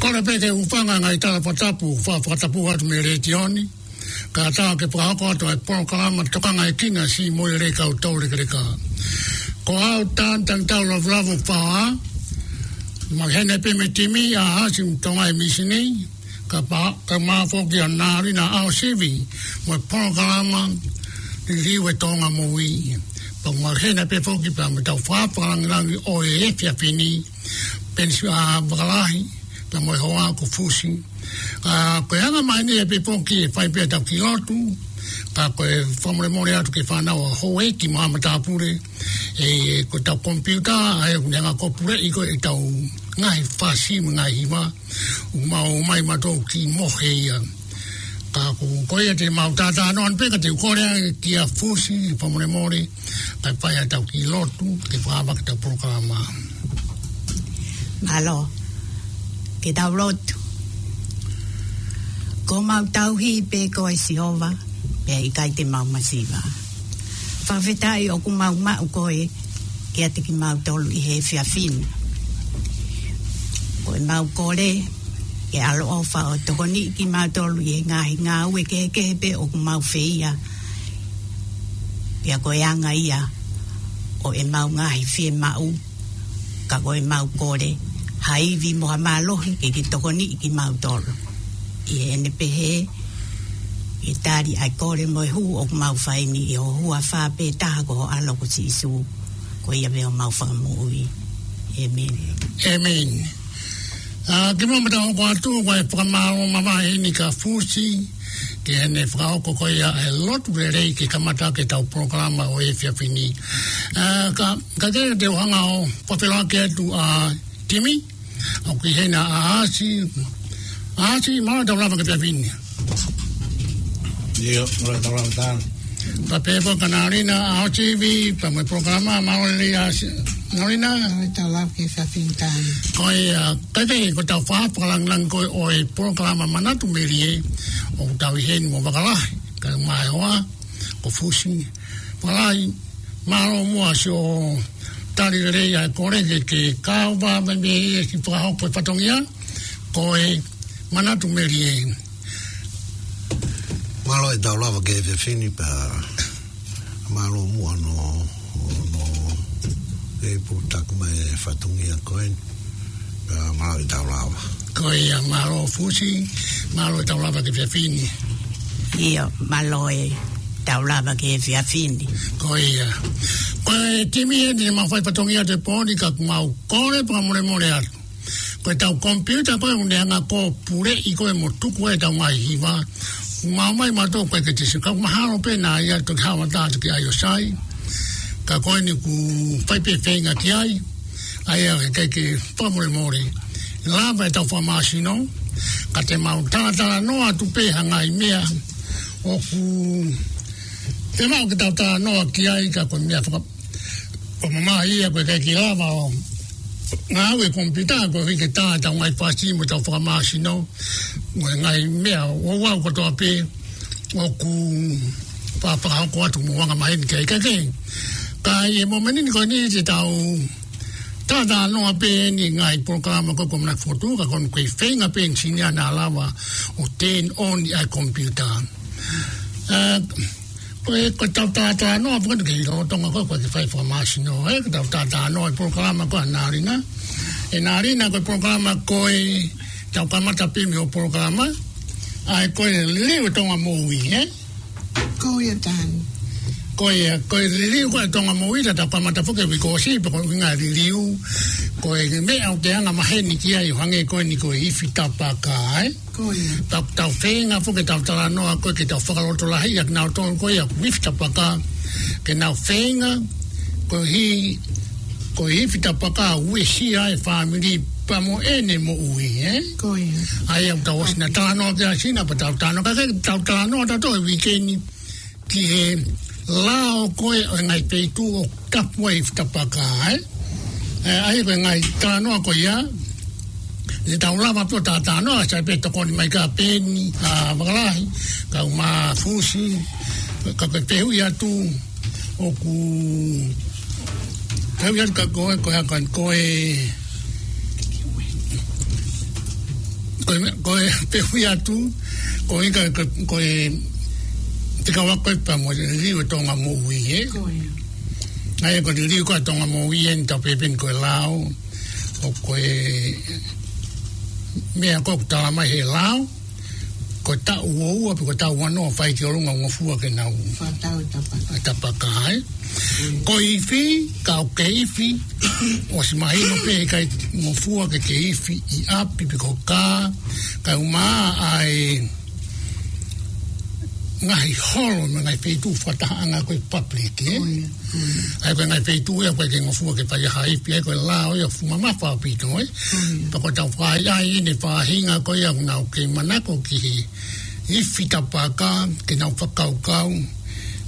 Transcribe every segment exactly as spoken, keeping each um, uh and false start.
Kole pē ke u hūfanga he ngaahi tala fakatapu, fa-, fakatapu atu mei he letiō ni. Kae ʻatā ke fakahoko atu ʻa e polokalama Tokanga e Kina, siʻi moʻui lelei kau tau lekeleka. Ko au Tānitangitau Lavulavu Faoa, mau ʻi heni pē mo e timi ʻa Hasi Tonga e Mīsini, kae pehē, kae ʻumaʻā foki ʻa Nalina ʻAosivi, mo e polokalama Liliu e Tonga Moʻui. Pea mau ʻi heni pē foki pea mo ʻetau fakalāngilangi ʻo e efiafi ni, Penisi ʻa Vakalahi, pea mo e hoa ko Fusi. Ka ko e anga mai ni ʻe pē foki ʻe fai pē ʻetau kiʻi lotu, ka ko e fakamolemole atu ki he fānau ʻa houʻeiki mo haʻa matāpule, ʻe, ko ʻetau komipiuta, ʻa ia ʻoku ne hanga ʻo puleʻi ko ē ʻetau ngaahi fasi mo e ngaahi hiva, ʻoku mau ō mai mautolu ki mohe ia. Ka ko, ko ia te mau talanoa pē ka te u kole ange kia Fusi, fakamolemole, kae fai ʻetau kiʻi lotu, ke fakaava ki heʻetau polokalama. Mālō, ke tau lotu. Ko homau tauhi pē koe Sihova, pea ʻikai te mau masiva. Fakafetaʻi ʻoku mau maʻu koe, kiate kimautolu ʻi he efiafi ni. Ko ʻemau kole, ke ʻaloʻofa ʻo tokoniʻi kimautolu ʻi he ngaahi ngāue kehekehe pē ʻoku mau feia. Pea ko e anga ia ʻo ʻemau ngaahi fiemaʻu, ka ko ʻemau kole, ha ivi mo ha mālohi ke ke tokoniʻi kimautolu. ʻI heʻene pehē, ke tali ʻa e kole mo e hū ʻoku mau fai ni ʻi ho huafa pē taha ko ho ʻAlo ko Sīsū. Ko ia pē homau Fakamoʻui. ʻĒmeni. ʻĒmeni. ʻA, kimuʻa pea tau hoko atu, ko e fakamālō mavahe eni kia Fusi, ki heʻene fakahoko ko ia e lotu lelei ke kamata ʻaki ʻetau polokalama ʻo e efiafi ni. ʻA, ka, ka te, te u hanga ʻo fakafeʻiloaki atu ʻa e timi, ʻoku ʻi heni ʻa Hasi, ʻa Hasi, mālō e tau lava ki he efiafi ni. ʻIo, mālō e tau lava Tāna. Pea pehē foki kia Nalina ʻAosivi, pea mo e polokalama, mālō e lelei ʻa Hasi. Nalina. Mālō e tau lava ki he efiafi ni Tāna. Ko ia, ʻa, kae kehe ko ʻetau fa-, fakalāngilangi ko ē ʻo e polokalama Manatu Melie, ʻoku tau ʻi heni mo Vakalahi, kae ʻumaʻā e hoa ko Fusi. Vakalahi, mālō muʻa siʻo tali lelei ʻa e kole ke, ke kau mai mei he kiʻi fakahoko e fatongia, ko e Manatu Melie. Mālō e tau lava ki he efiafi ni pea mālō muʻa hono, hono e pō taku mai e fatongia ko eni. Pea mālō e tau lava. Ko ia, mālō Fusi, mālō e tau lava ki he efiafi ni. ʻIo, mālō e tau lava ki he efiafi ni. Ko ia. Ko e timi eni ʻoku mau fai fatongia he pō ni ka ʻoku mau kole fakamolemole atu. Ko ʻetau komipiuta ko ē ʻoku ne hanga ʻo puleʻi ko ē mo tuku ʻetau ngaahi hiva. ʻOku mau ō mai mautolu ko ē ki he tisi, ka ʻoku mahalo pē naʻa ia toki haʻu atu ki ai ʻo sai. Ka ko eni ʻoku fai pē feinga ki ai. ʻA ia ke, ke fakamolemole. Lava ʻetau fakamāsino. Ka te mau talatalanoa atu pē ha ngaahi meʻa ʻoku te mau ke tau talanoa ki ai ka ko e meʻa faka-, ʻoku mamahi ia ko e ʻikai ke lava ʻo ngāue komipiuta, koeʻuhi ke tā ʻetau ngaahi fasi mo ʻetau fakamāsino, mo e ngaahi meʻa ʻo, ʻo au kotoa pē ʻoku fa-, fakahoko atu mo anga maheni ki ai. Ka ke, ka ʻi he momeniti ko eni te tau talatalanoa pē eni ngaahi polokalama ko ē ʻoku mau fokotuʻu, ka ko eni ko e feinga pē ʻeni siʻi naʻa lava ʻo turn on ʻa e komipiuta. Ā, ko e, ko ʻetau talanoa, pea ko e kiʻi lolotonga ko ē, ko e kiʻi fai fakamāsino, ē, ko ʻetau talanoa ʻi he polokalama ko ē ʻa Nalina. ʻE Nalina, ko e polokalama ko ē, tau kamata pē mei hoʻo polokalama, ʻa ia ko e liliu ʻa e Tonga Moʻui, ē? Ko ia, Tani. Ko ia, ko e liliu ko ē ʻa e Tonga Moʻui, ʻa ia tau kamata foki he uike kuo ʻosi, pea ko e ʻuhinga e liliu, ko e meʻa ʻoku te anga maheni ki ai ʻo hangē ko eni ko e ifi tapaka, ē? Ko ia. Tau, tau feinga foki ke tau talanoa ko ē ke tau fakalotolahiʻi ʻa kinautolu ko ia ʻoku ifi tapaka, ke nau feinga, koeʻuhi, ko e ifi tapaka ʻoku uesia e fāmili pea mo ʻene moʻui, ē? Ko ia. ʻA ia ʻoku tau ʻosi na talanoa ki ai ʻasinā pea tau talanoa, ka ke tau talanoa tautolu he uike ni ki he lao ko ē ʻo e ngaahi feituʻu ʻoku tapu ai e ifi tapaka, ē? Ē, ʻa ia ko e ngaahi talanoa ko ia, ʻe tau lava pē ʻo talanoa, sai pē tokoni mai ka Peni, ʻa Vakalahi, kau Mafusi, ka ko e fehuʻi atu, ʻoku, fehuʻi atu ka ko e, ko e, ko e, ko e, ko e fehuʻi atu, ko e ka, ko, ko e, te ka wako e pea mo e liliu ʻa e Tonga Moʻui, ē? Ko ia. ʻA ia ko e liliu ko ē ʻa e Tonga Moʻui eni tau pehē pē eni ko e lao, ʻo ko e meʻa ko ē ʻoku tala mai he lao, ko e taʻu ua ua pe ko e taʻu ua noa fai ki ʻolunga ʻo ngofua ke nau fakatau e tapaka. E tapaka, ē? Mm. Ko e ifi, ka ʻoku ke ifi, ʻosi mahino pē ʻikai ngofua ke ke ifi ʻi ʻapi pe ko e kā, kae ʻumaʻā ʻa e ngaahi holo mo e ngaahi feituʻu fakatahaʻanga ko ē public, ē? Ko ia, ko ia. ʻA ia ko e ngaahi feituʻu ia ʻoku ʻikai ke ngofua ke fai ha ifi, ʻa ia ko e lao ia ʻoku fuʻu mamafa ʻaupito, ē? Ko ia. Pea ko ʻetau fai ai ʻi he faʻahinga ko ia ʻoku nau kei manako ki he ifi tapaka, ke nau fakakaukau,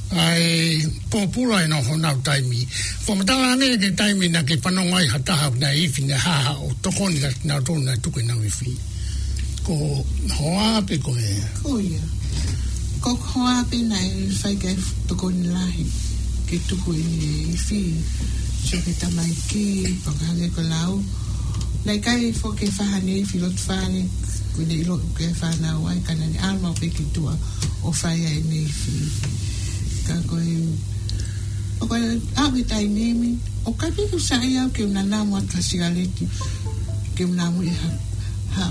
ʻa e pōpula ʻenau honau taimi. Fakamatala ange ki he taimi naʻa ke fanongo ai ha taha naʻe ifi, naʻe hā haʻo tokoni kia kinautolu naʻe tuku ʻenau ifi. Ko ho hoa pe ko e? Ko ia. Ko ho hoa pē naʻe fai ki ai e tokoni lahi ke tuku ʻene ifi. Sio ki he tamaiki, pea ka hangē ko e lau, naʻe ʻikai foki ke fai haʻane ifi ʻi loto fale, ko ʻene ʻilo ʻoku ʻi ai e fānau ai, ka naʻa ne ʻalu maʻu pē ki tuʻa ʻo fai ai ʻene ifi. Ka ko e, ʻo ko e ʻaho ʻi he taimi ni, ʻoku ʻikai pē ke u saiʻia au ke u nanamu atu ha sikaleti, ke u namu ʻi ha, ha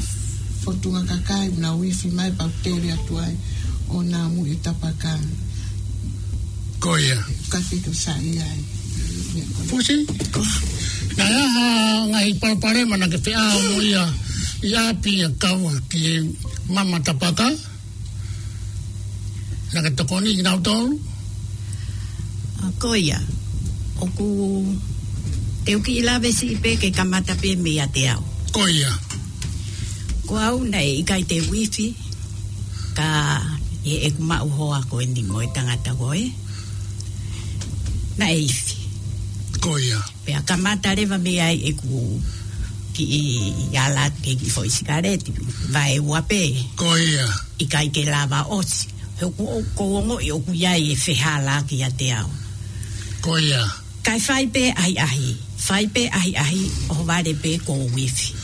fotunga kakai, u nau ifi mai pea u tele atu ai ʻo namu ʻi he tapaka. Ko ia. ʻIkai pē ke u saiʻia ai. Fusi? Ko. Naʻe ʻi ai ha ngaahi palopalema naʻa ke feʻao mo ia ʻi ʻapi ʻo kau ki he mama tapaka? Naʻa ke tokoni kinautolu? ʻA, ko ia. ʻOku, te u kiʻi lave siʻi pē ke kamata pē meiate au. Ko ia. Ko au naʻe ʻikai te u ifi, ka ʻi heʻeku maʻu hoa ko eni mo e tangata ko ē, naʻe ifi. Ko ia. Pea kamata leva mei ai ʻeku kiʻi ala atu ki he kiʻi foʻi sikaleti, vaeua pē. Ko ia. ʻIkai ke lava ʻosi. He ʻoku, ʻoku ou ongoʻi ʻoku ʻi ai e fehālaaki ʻiate au. Ko ia. Kae fai pē ʻahiʻahi. Fai pē ʻahiʻahi, ʻohovale pē kuo u ifi.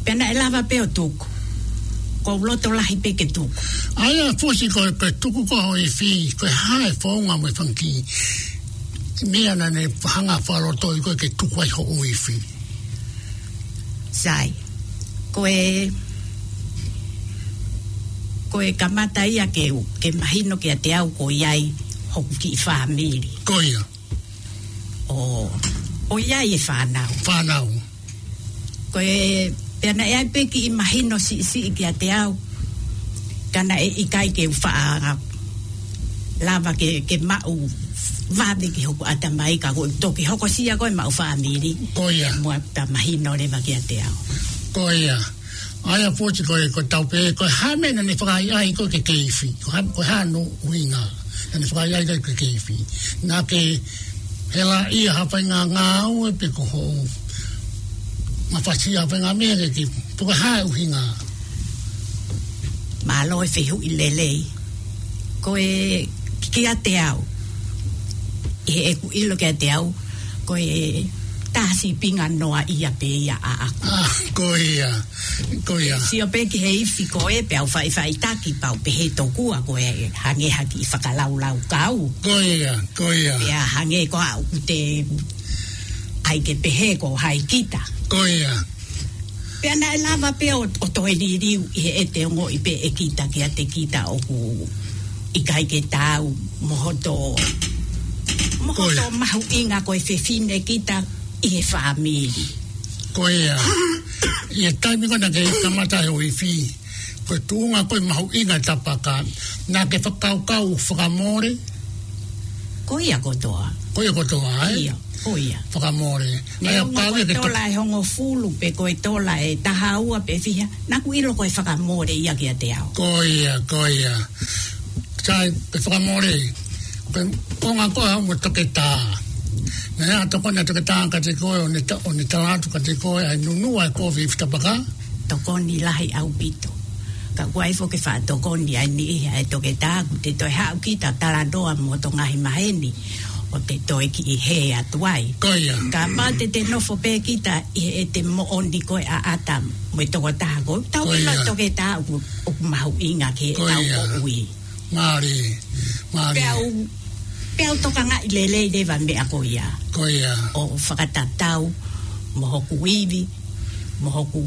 Pea naʻe lava pē ʻo tuku. Kuo u loto lahi pē ke tuku. ʻA ia Fusi ko e, ko e tuku ko ē hoʻo ifi, ko e hā e founga mo e fanga kiʻi meʻa naʻa ne hanga fakalotoi koe ke tuku ai hoʻo ifi? Sai. Ko e, ko e kamata ia ke, ke mahino kiate au ʻoku ʻi ai hoku kiʻi fāmili. Ko ia. ʻO, ʻo ʻi ai e fānau. Fānau. Ko e, pea naʻe ʻi ai pē kiʻi mahino siʻisiʻi kiate au, ka naʻe ʻikai ke u faʻa lava ke, ke maʻu vave ki hoku ʻatamai ka ko e toki hokosia ko e maʻu fāmili. Ko ia. Mo ta mahino leva kiate au. Ko ia. ʻA ia Fusi ko e, ko ʻetau pehē, ko e hā e meʻa naʻa ne fakaʻaiʻai koe ke ke ifi? Ko e hā, ko e hā hono ʻuhinga naʻa ne fakaʻaiʻai koe ke ke ifi? Naʻa ke helaʻia ha faʻahinga ngāue pe ko hoʻo mafasia ha faʻahinga meʻa ke ke, pe ko e hā e ʻuhinga? Mālō e fehuʻi lelei. Ko e kiate au, ʻi heʻeku ʻilo kiate au, ko e tā sīpinga noa ia pē ia ʻaʻaku. Ah, ko ia, ko ia. Sio pē ki he ifi ko ē, pea u faʻifaʻitaki pea u pehē tokua ko e hangē ha kiʻi fakalaulaukau. Ko ia, ko ia. Pea hangē ko ā ʻoku te ʻai ke pehē ko hai kita. Ko ia. Pea naʻe lava pē ʻo, ʻo toe liliu ʻi heʻete ongoʻi pē ʻe kita kiate kita ʻoku ʻikai ke taau mo hoto, mo hoto mahuʻinga ko e fefine kita ʻi he fāmili. Ko ia. ʻI he taimi ko ē naʻa ke kamata he ʻo ifi, ko e tuʻunga ko e mahuʻinga Tapaka, naʻa ke fakakaukau fakamole? Ko ia kotoa. Ko ia kotoa, ē? Ia, ko ia. Fakamole. Neongo ko e tola ʻe hongofulu pe ko e tola ʻe taha ua pe fiha, naʻa ku ʻilo ko e fakamole ia kiate au. Ko ia, ko ia. Sai, pe fakamole. Pe konga ko au mo toketā. Naʻe ʻa tokoni ʻa toketā kiate koe ʻo ne ta-, ʻo ne tala atu kiate koe ʻa e nunua e kovi ʻi Fitapaka. Tokoni lahi ʻaupito. Ka ʻoku ʻi ai foki e faʻa tokoni ʻa e niʻihi ʻa e toketā ʻoku te toe haʻu kita ʻo talanoa mo hoto ngaahi maheni ʻo te toe kiʻi hē atu ai. Ko ia. Kapau te te nofo pē kita ʻi heʻete moʻoni ko e ʻaʻata mo e tokotaha ko ē, tau ʻilo toketā ʻoku, ʻoku mahuʻinga ki heʻetau moʻui. Mālie, mālie. Pea u, pea u tokangaʻi lelei leva e meʻa ko ia. Ko ia. ʻO fakatatau mo hoku ivi, mo hoku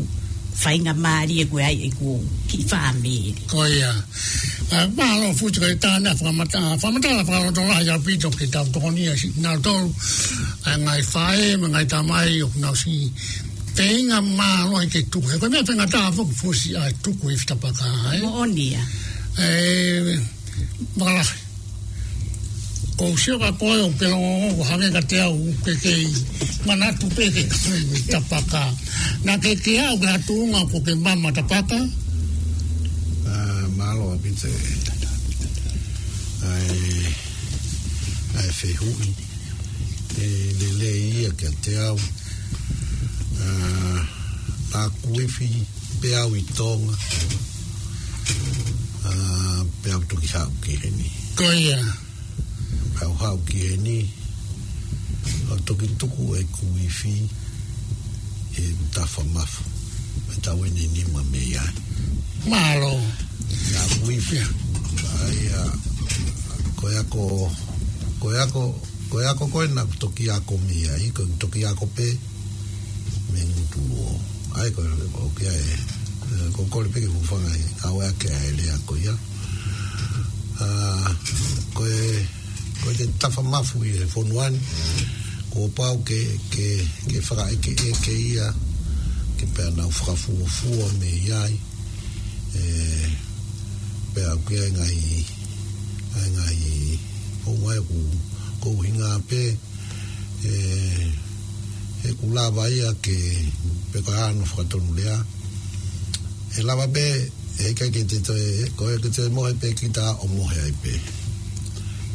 faingamālie ko ē ʻa ʻeku kiʻi fāmili. Ko ia. ʻA, mālō Fusi ko e tānaki fakamatala, fakamatala fakalotolahi ʻaupito ke tau tokoni ai siʻi nautolu, ʻa e ngaahi faʻē mo e ngaahi tamai ʻoku nau siʻi feinga mālohi ke tuku. He ko e meʻa faingataʻa foki Fusi ʻa e tuku ʻi Fitapaka, ē? Moʻoni ia. ʻE, Vakalahi. Ko u sio kia koe ʻo pehē ʻo hangē kiate au ʻoku ke kei manatu pē ke tuku ʻi Tapaka. Naʻa ke kei aʻu ki ha tuʻunga ʻoku ke mama Tapaka? ʻA, mālō ʻaupito ē. ʻA e, ʻa e fehuʻi. ʻE lelei ia kiate au. ʻA, naʻa ku ifi pē au ʻi Tonga. ʻA, pea u toki haʻu ki heni. Ko ia. Pea u haʻu ki heni, ʻo toki tuku ʻeku ifi ʻi he tafa mafu. Pea tau ʻeni nima mei ai. Mālō. Naʻa ku ifi. ʻA ia, ko e ako, ko e ako, ko e ako ko ē naʻa ku toki ako mei ai, ko e toki ako pē mei he ngutu ʻo. ʻA ia ko e, ʻoku ʻi ai ē. ʻE, ko e kole pē ke u hūfanga he ʻave ʻaki ʻa e lea ko ia. ʻA, ko e, ko e tafa mafu ʻi he fonua ni, kuo pau ke, ke, ke fakaʻekeʻeke ia, ke pea nau fakafuofua mei ai, ʻe, pea ʻoku ʻi ai e ngaahi, ʻa e ngaahi, ʻo mai ku, ko e ʻuhinga pē, ʻe, ʻe ʻoku lava ia ke, pe ko e hā hono fakatonulea. ʻE lava pē, ʻe ʻikai ke te toe, ko e ke te mohe pē kita ʻo mohe ai pē.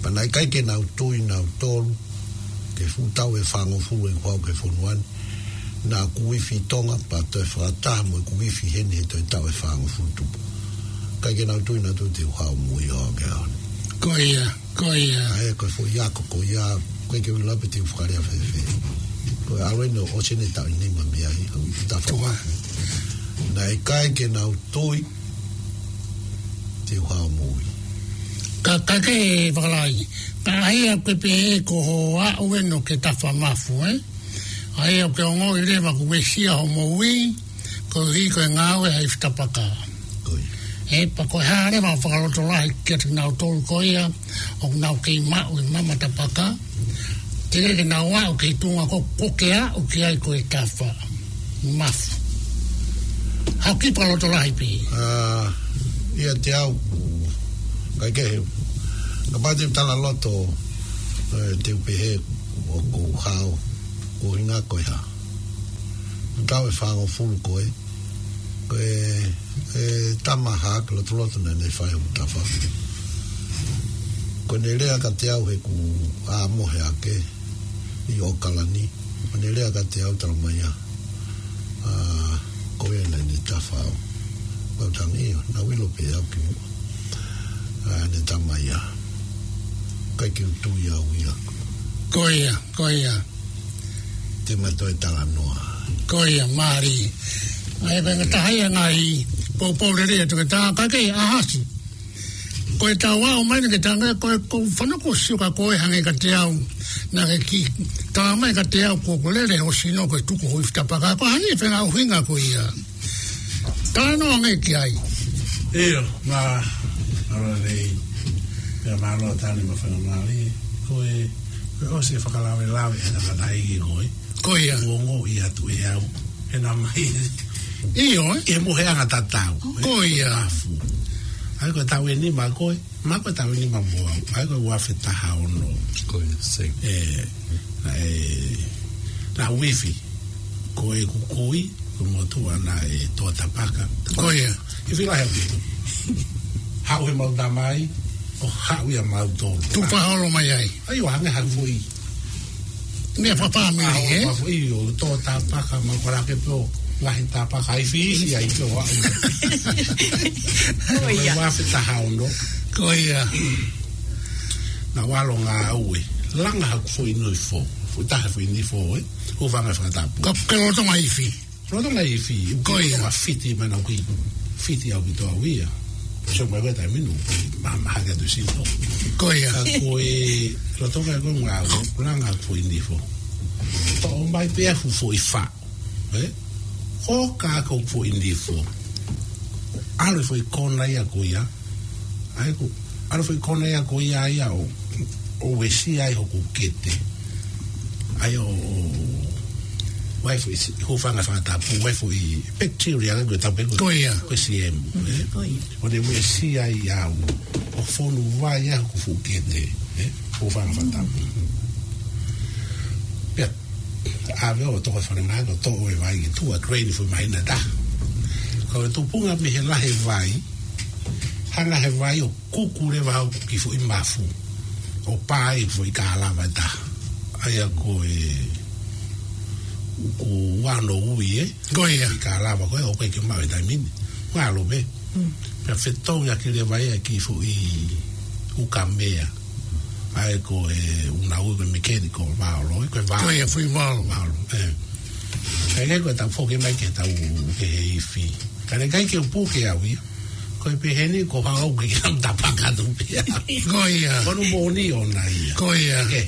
Pea naʻe ʻikai ke nau tui nautolu, ki he fuʻu taʻu ʻe fāngofulu ʻeku haʻu ki he fonua ni, naʻa ku ifi ʻi Tonga, pea toe fakataha mo ʻeku ifi heni he toe taʻu ʻe fāngofulu tupu. ʻIkai ke nau tui nautolu te u haʻu ʻo moʻui ʻo aʻu ki he ʻaho ni. Ko ia. Ko ia. ʻA ia, ko e foʻi ako ko ia, ʻoku ʻikai ke u ʻilo pe te u fakalea fēfē. Ko e ʻalu ʻeni ʻo ʻosi ʻeni e taʻu ʻe nima mei ai, ʻo tafa. Naʻe ʻikai ke nau tui te u haʻu ʻo moʻui. Ka, ka ke Vakalahi. Ka ʻa ia ko e pehē ko hoʻo aʻu ʻeni ʻo ke tafa mafu, ē? ʻA ia ʻoku ke ongoʻi leva kuo uesia hoʻo moʻui, koeʻuhi ko e ngāue ʻi Fitapaka. Ko ia. ʻE, pea ko e hā leva e fakalotolahi kiate kinautolu ko ia, ʻoku nau kei maʻu e mama Tapaka, teʻeki ke nau aʻu ki he tuʻunga ko, ko ē ke aʻu ki ai ko e tafa mafu. Haʻu ki he fakalotolahi pē. ʻA, ʻiate au, ʻikai ke he, kapau te u talaloto, ʻe, te u pehē ʻoku ou hao, ko e ʻuhinga ko e hā. Taʻu ʻe fāngofulu ko ē, ko e, e tama hā ke lotoloto naʻa ne fai hoku tafa. Ko ʻene lea kiate au he kuo u mohe hake ʻi ʻAokalani. Ko ʻene lea kiate au talamai ia, ʻa, ko ia naʻa ne tafa au. Pea u talaange ʻio, naʻa ku ʻilo pē au ki muʻa. ʻA, ne talamai ia. ʻIkai ke u tui au ia. Ko ia, ko ia. ʻi ma toe talanoa. Ko ia, mālie. ʻA ia, ko e ngataʻanga ia ʻa e ngaahi poupou lelei ʻa e toketā, ka ke ʻahasi. Ko e tau ʻomai ni ke tanga, ko e ʻoku ou fanongo ʻoku sio ka ko e hangē kiate au. Naʻa ke kiʻi talamai kiate au ko e lele ho sino ko e tuku ho ifi tapaka. Ko e hā e fenga ʻuhinga ko ia. Talanoa ange ki ai. ʻIo, ma, ora nei. Pea mālō Tane mo e faingamālie. Ko e, ko e ʻosi e fakalavelave ʻa e tangataʻeiki ko ē. Ko ia. Kuo ongoʻi atu ʻe au. He naʻa mai. ʻIo, ē? ʻI he moheʻanga tatau. Ko ia. Afu. ʻA ia ko e taʻu ʻe nima ko ē. Ma ko e taʻu ʻe nima mo au. ʻA ia ko e ua afe taha ono. Ko ia, same. ʻE, naʻe, naʻa ku ifi. Ko ʻeku kui, ko e motuʻa naʻe tō tapaka. Ko ia. Ifi lahi atu. Haʻu he mau tamai, ʻo haʻu ia mau tō. Tuʻu fakaholo mai ai. ʻA ia, ʻo hangē ha foʻi meʻa fakafāmili, ē? Ua foʻi ʻo tō tapaka, ma ko e laka pē ʻo lahi tapaka, ifi ifi ai pē ʻo aʻu. Ko ia. Ua afe taha ono. Ko ia. Naʻa ku ʻalu ʻo ngāue. Langa haku foʻi nifo. Foʻi taha foʻi nifo, ē? Hūfanga he fakatapu. Ka ke lolotonga ifi. Lolotonga ifi. Ko ia. Lolotonga fiti mai naʻa ku fiti ʻaupito au ia. Sio mai ko e taimi ni, ma, ma hake atu sino. Ko ia. Ka ko e, lolotonga ko e ngāue, langa foʻi nifo. Toʻo mai pē ʻa e fuʻu foʻi faʻu. Ē? Ko ka ko e foʻi nifo. ʻAlu e foʻi kona ia ko ia. ʻA ia ko, ʻalu e foʻi kona ia ko ia ia ʻo, ʻo uesia ai hoku kete. ʻA ia ʻo, ʻo, ʻai foʻi si-, hūfanga he fakatapu, ʻai foʻi bacteria ko e tapu ko. Ko ia. Ko e C M, ē? Ko ia. ʻO ne uesia ai au, ʻo fonu vai ai hoku fuʻu kete, ē? Hūfanga he fakatapu. Pea, ʻave ʻo toʻo e falemahaki ʻo toʻo e vai ki tuʻa, drain foʻi māhina ʻe taha. Ko e tupunga mei he lahi e vai, hanga he vai ʻo kuku leva hoku kiʻi foʻi mafu. ʻO pā ai foʻi kalava ʻe taha. ʻA ia ko e, ko e ua noa ui, ē? Ko ia. Foʻi kalava ko ē, ʻoku ʻikai ke maʻu he taimi ni. Ngalo pē. Mm. Pea fetongi ʻaki leva ia e kiʻi foʻi ukamea. ʻA ia ko e ʻū naʻa ku ui ko e mechanical valve, ko e valve. Ko ia, foʻi valve. Valve, ē. Ka ʻikai ko e tau foki mai ke tau ke he ifi. Ka ne ʻikai ke u puke au ia. Ko e pehē ni ko hau ke ke am tapaka atu pē. Ko ia. Ko hono moʻoni ʻona ia. Ko ia. Ke,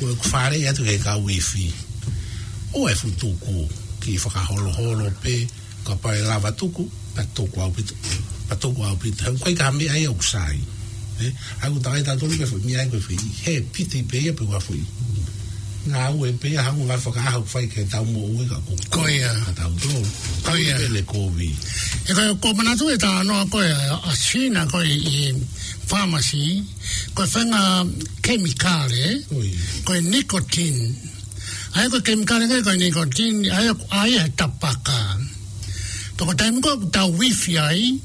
ko e fale atu ke kau ifi. ʻO e fuʻu tuku, kiʻi fakaholoholo pē, kapau ʻe lava tuku, pea tuku ʻaupito, pea tuku ʻaupito. He ʻoku ʻikai ko ha meʻa ia ʻoku sai. Ē, ʻa ia ʻoku tau ʻai tautolu pē foʻi meʻa ia ko e foʻi, he piti pē ia pe ko ha foʻi. Ngāue pē ia, ha ngāue fakaʻaho fai ke tau moʻui ka ko. Ko ia. Ka tautolu. Ko ia. Pele kovi. ʻE ko e, ʻoku ou manatu e talanoa ko ē ʻa, ʻa Sina ko ē ʻi he pharmacy, ko e faʻahinga kemikale, ko ia. Ko e nicotine. ʻA ia ko e kemikale ko ē ko e nicotine, ʻa ia ʻoku ʻai he tapaka. Pea ko e taimi ko ē ʻoku tau ifi ai,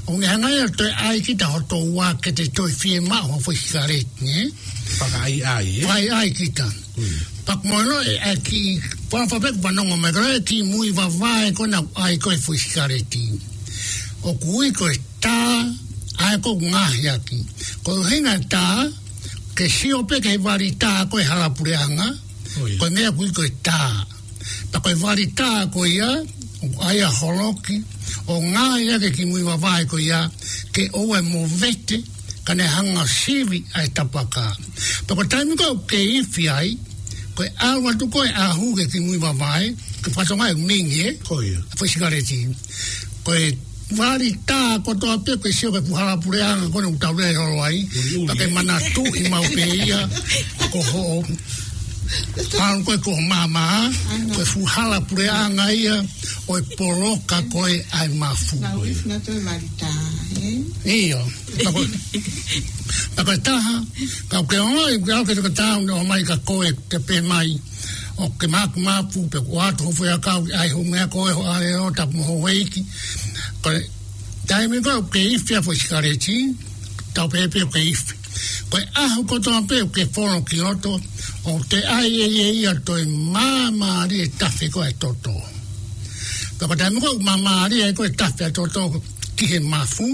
ʻoku ne hanga ia ʻo toe ʻai kita hoto ua ke te toe fiemaʻu ha foʻi sikaleti, nē? Fakaʻaiʻai, ē? Fakaʻaiʻai kita. Mm. Pea ko e moʻoni ē, ʻa e kiʻi, pea fakape kupanongo mai, ko e kiʻi mui vavae ko ē naʻa ku ʻai ko ē foʻi sikaleti. ʻOku ui ko e tā, ʻa ia ʻoku ngaohi ʻaki. Ko e ʻuhinga tā, ke sio pē ki he vali tā ko ē hala puleʻanga, ʻo ia. Ko e meʻa ʻoku ui ko e tā. Pea ko e vali tā ko ia, ʻoku ʻai ʻa e holoki, ʻo ngaohi ʻaki e kiʻi mui vavae ko ia, ke ʻoua ʻe movete, ka ne hanga ʻo sivi ʻa e tapaka. Pea ko e taimi ko ē ʻoku ke ifi ai, ko e ʻalu atu ko ē ʻa e hū ki he kiʻi mui vavae, ke fatongia e mingi, ē? Ko ia. Foʻi sikaleti. Ko e vali tā kotoa pē, ke sio ki he fuʻu hala puleʻanga ko ē ʻoku tau lele holo ai, uliuli, pea ke, ē? Manatuʻi maʻu pē ia, ko hoʻo, ʻalu ko ē ko ho maama, ko e fuʻu hala puleʻanga ia, ʻo e poloka ko ē ʻa e mafu. Mau ifi na toe vali tā, ē? ʻIo, pea ko, pea ko e taha, ka ʻoku ke ongoʻi, ka ʻoku ke tokatau, ne ʻomai ka ko e te pē mai, ʻoku ke maku mapu, pe ko atu ho foʻi ʻakau, ʻai ho meʻa ko ē ho ʻalelo, tapu mo ho ueiki. Ko e taimi ko ē ʻoku ke ifi ʻa e foʻi sikaleti, tau pehē pē ʻoku ke ifi. Ko e ʻaho kotoa pē ʻoku ke folo ki loto, ʻoku te ʻai ʻe ia ia toe māmālie e tafe ko ē ʻa e toto. Pea ko e taimi ko ē ʻoku māmālie ai ko ē e tafe ʻa e toto ki he mafu,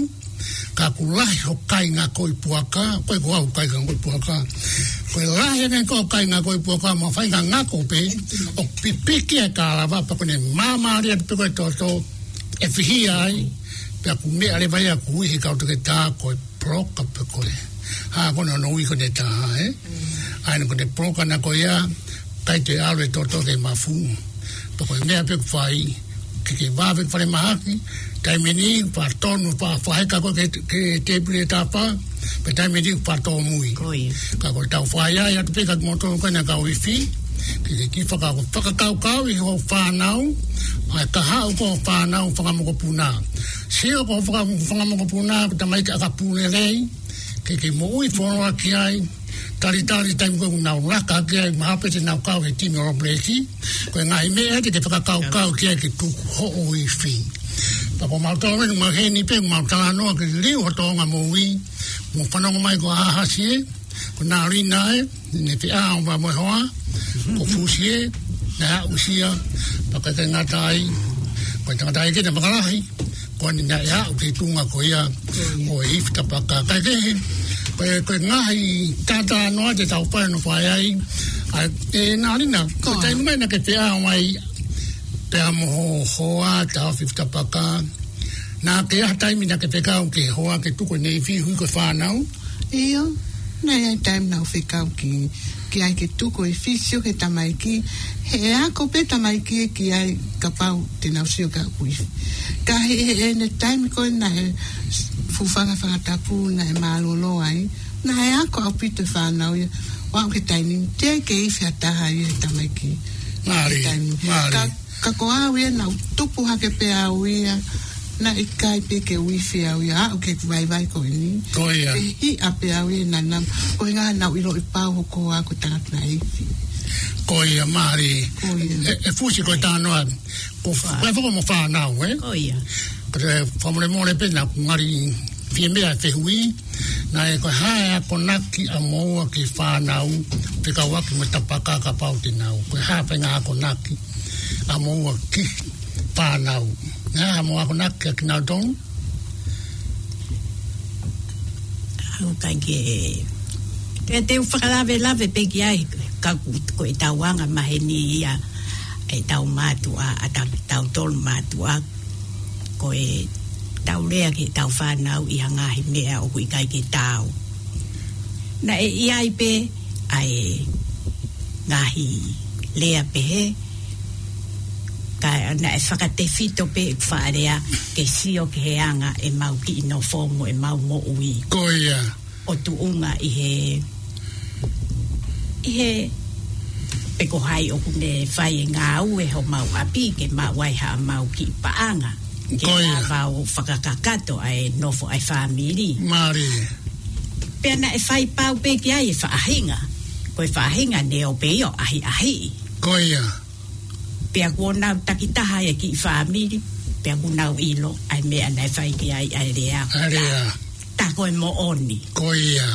ka ʻoku lahi ho kāinga ko ē ʻi puaka, ko ē ko au kāinga ko ē ʻi puaka. Ko e lahi ange ko e kāinga ko e puaka mo faingataʻa ko pē, ʻo pipiki e kalava pea ko ʻene māmālie atu pē ko e toto, ʻe fihia ai, pea ko e meʻa leva ia ʻoku ui he kau toketā ko e poloka pē ko e. Hā ko hono ui ko ʻene taha, ē? ʻA ia ko ʻene poloka na ko ia, ʻikai te ʻalu e toto ke mafu. Pea ko e meʻa pē ʻoku fai, ke ke vave falemahaki, taimi ni, faʻa tonu, faʻa, faʻa heka ko e ke, ke tēpile tapa, pea taimi ni, faʻa tōmui. Ko ia. Ka ko e tau fai ai atu pē kia kimoutolu ko ena kau ifi, ke ke kiʻi faka-, fakakaukauʻi hoʻo fānau, ʻa e kahaʻu ko hoʻo fānau fanga mokopuna. Sio ko hoʻo faka-, fanga mokopuna, ko e tamaiki ʻakapulu lelei, ke ke moʻui fuoloa ki ai, talitali taimi ko ē ʻoku nau laka ki ai, mahalo pē te nau kau he timi All Blacks, ko e ngaahi meʻa te ke fakakaukau ki ai ke tuku hoʻo ifi. Pea ko mautolu eni, maheni pē, mau talanoa ke liliu ho toʻonga moʻui, mou fanongo mai ko Ahasi ē, ko Nalina ē, ne feʻao mo e hoa, ko Fusi ē, naʻe aʻusia, pea ʻikai ke ngata ai, ko e tangataʻeiki ʻe fakalahi, ko eni naʻe aʻu ki he tuʻunga ko ia, ʻo e ifi tapaka. Kae kehe, ko e, ko e ngaahi talanoa te tau fai ʻo fai ai, ʻa, ē Nalina, ko e taimi mai naʻa ke feʻao mai, pea mo ho hoa, taʻofi ifi tapaka, naʻa ke ʻi ai ha taimi naʻa ke fekau ki he hoa ke tuku ʻene ifi hui ko e fānau? ʻIo, naʻe ʻi ai e taimi naʻa ku fekau ki, ki ai ke tuku e ifi, sio ki he tamaiki, he ʻe ako pē tamaiki ē ki ai kapau te nau sio ki haʻaku ifi. Ka he, he, he ʻene taimi ko ē naʻe fuʻu fanga fanga tapu naʻe mālōlō ai, naʻe ako ʻaupito e fānau ia, ʻo aʻu ki he taimi ni, teʻeki ke ifi ha taha ia he tamaiki. Mālie, taimi. Mālie. Ka Ka ko au ia naʻa ku tupu hake pē au ia, naʻe ʻikai pē ke u ifi au ia, aʻu ki he vaivai ko eni. Ko ia. Pea hiʻa pē au ia naʻa, naʻa, ko e ʻuhinga naʻa ku ʻiloʻi pau hoku hoa ko e tangata naʻe ifi. Ko ia, mālie. Ko ia. ʻE, ʻe Fusi ko e talanoa. Ko fa-, ko e faka mo fānau, ē? Ko ia. Ko e fakamolemole pē naʻa ku ngali fie meʻa fehuʻi, naʻe ko e hā e akonaki ʻa moua ki he fānau, fekauʻaki mo e tapaka kapau te nau. Ko e hā e faʻahinga akonaki ʻa moua ki he fānau. Naʻe hā mo e akonaki ʻa kinautolu? ʻOku ʻikai ke, te, te u fakalavelave pē ki ai, ka ko, ko e tau anga maheni ia, ʻetau mātuʻa, ʻa ta-, tautolu mātuʻa, ko e tau lea ki heʻetau fānau ʻi ha ngaahi meʻa ʻoku ʻikai ke taau. Naʻe ʻi ai pē ʻa e ngaahi lea pehē, ka naʻe fakatefito pē ʻeku faʻa lea ke sio ki he anga ʻemau kiʻi nofo mo ʻemau moʻui. Ko ia. ʻO tuʻunga ʻi he, ʻi he, pe ko hai ʻoku ne fai e ngāue homau ʻapi ke maʻu ai haʻamau kiʻi paʻanga. Ke Ko ia. lava ʻo fakakakato ʻa e nofo ʻa e fāmili. Mālie. Pea naʻe fai pau pē ki ai e faʻahinga. Ko e faʻahinga ne ō pē ia ʻo ʻahiʻahiʻi. Ko ia. Pea kuo nau takitaha e kiʻi fāmili, pea kuo nau ʻilo ʻa e meʻa naʻe fai ki ai ʻa e lea. ʻA e lea. Tā ko e moʻoni. Ko ia.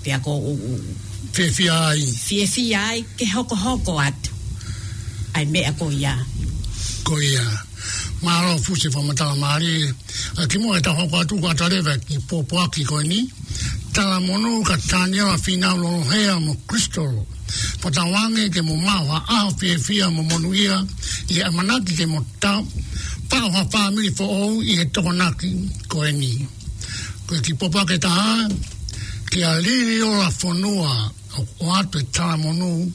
Pea ko u, u. Fiefia ai. Fiefia ai ke hokohoko atu ʻa e meʻa ko ia. Ko ia. Mālō Fusi fakamatala mālie. ʻA kimuʻa ʻetau hoko atu, ko ʻeta leva e kiʻi pōpoaki ko eni. Talamonū kia Taniela Fīnau Lolohea mo Crystal. Fakatauange ke mo maʻu ha ʻaho fiefia mo monūʻia ʻi he ʻamanaki ke mo tau, paʻu ha fāmili foʻou ʻi he Tokonaki ko eni. Ko e kiʻi pōpoaki ʻe taha, kia Liliola Fonua, ʻo, ʻoatu e talamonū,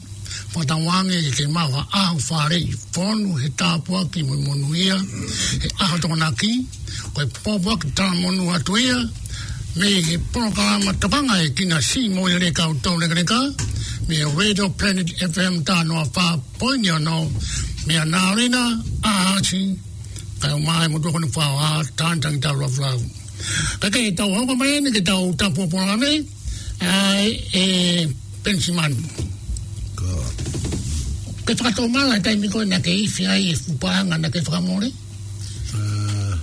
fakatauange ke maʻu ha ʻaho fāreʻi fonu he tāpuaki mo monūʻia, he ʻaho Tokonaki, ko e pōpoaki talamonū atu ia, mei he polokalama Tokanga ʻEkina, siʻi moʻui lelei kau tau lekaleka, mei he Radio Planet F M taha noa fā poini ono, mei Nalina, Ahasi, kae ʻumaʻā e motuʻa ko eni Fua, Tanitangitau Lafulafu. Ka ke tau hoko mai eni ke tau tapu pō mai, ʻa e, ʻe Penisimani. Ko. Ke fakatomala taimi ko ē naʻa ke ifi ai e fuʻu paʻanga naʻa ke fakamole? ʻA.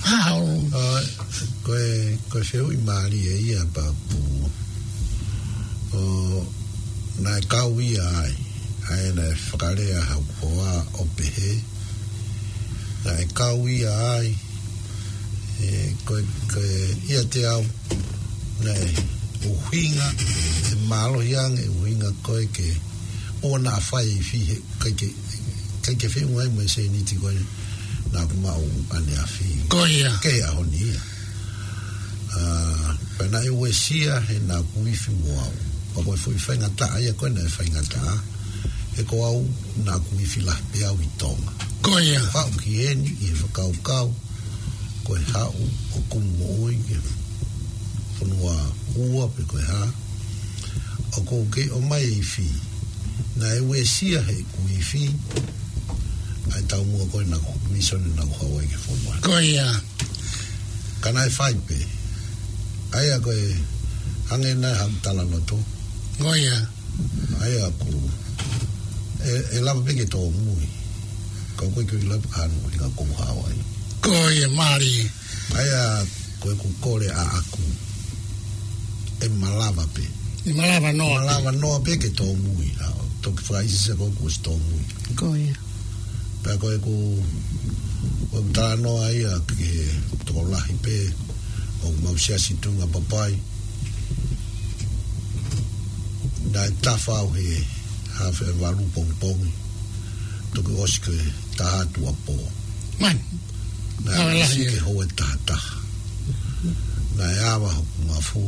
Hao. ʻA, ko e, ko e fehuʻi mālie ia pea ʻoku. ʻO, naʻe kau ia ai. ʻA ia naʻe fakalea haʻaku hoa ʻo pehē. Naʻe kau ia ai. ʻE, ko e, ko e, ʻiate au. Naʻe ʻUhinga, ʻe mālohi ange, ʻuhinga ko ē ke ʻoua naʻa fai e ifi he, ʻikai ke, ʻikai ke feʻunga ai mo e sēniti ko ē naʻa ku maʻu ʻaneafi. Ko ia. Ki he ʻaho ni ia. ʻA, pea naʻe uesia he naʻa ku ifi mo au. Pea ko e foʻi faingataʻa ia ko ē naʻe faingataʻa. He ko au naʻa ku ifi lahi pē au ʻi Tonga. Ko ia. Haʻu ki heni ʻi he fakakaukau ko e haʻu ʻo kumi moʻui ki he fonua ua pe ko e hā. ʻOku ou kei ʻomai e ifi. Naʻe uesia heʻeku ifi ʻa e taumuʻa ko ē naʻa ku, misiona naʻa ku haʻu ai ki he fonua. Ko ia. Ka naʻe fai pē. ʻA ia ko e hangē naʻe haʻu talanoa to. Ko ia. ʻA ia ʻoku, ʻe, ʻe lava pē ke tōmui. Ka ʻoku ʻikai ke u ʻilo pe ko e hā hono ʻuhinga ʻoku ou haʻu ai. Ko ia, mālie. ʻA ia ko ʻeku kole ʻaʻaku, ʻe malava pē. ʻE malava noa pē. Malava noa pē ke tōmui. ʻA, toki fakaʻisise ko ē kuo ʻosi tōmui. Ko ia. Pea ko ʻeku, ko ʻeku talanoa ia ki he tokolahi pē ʻoku mau siasi Tuʻunga Papai. Naʻe tafa au he hafe valu pongipongi. Toki ʻosi ko e taha tuʻuapō. Man. Naʻe ʻosi ke houa ʻe taha taha. Naʻe ava hoku mafu,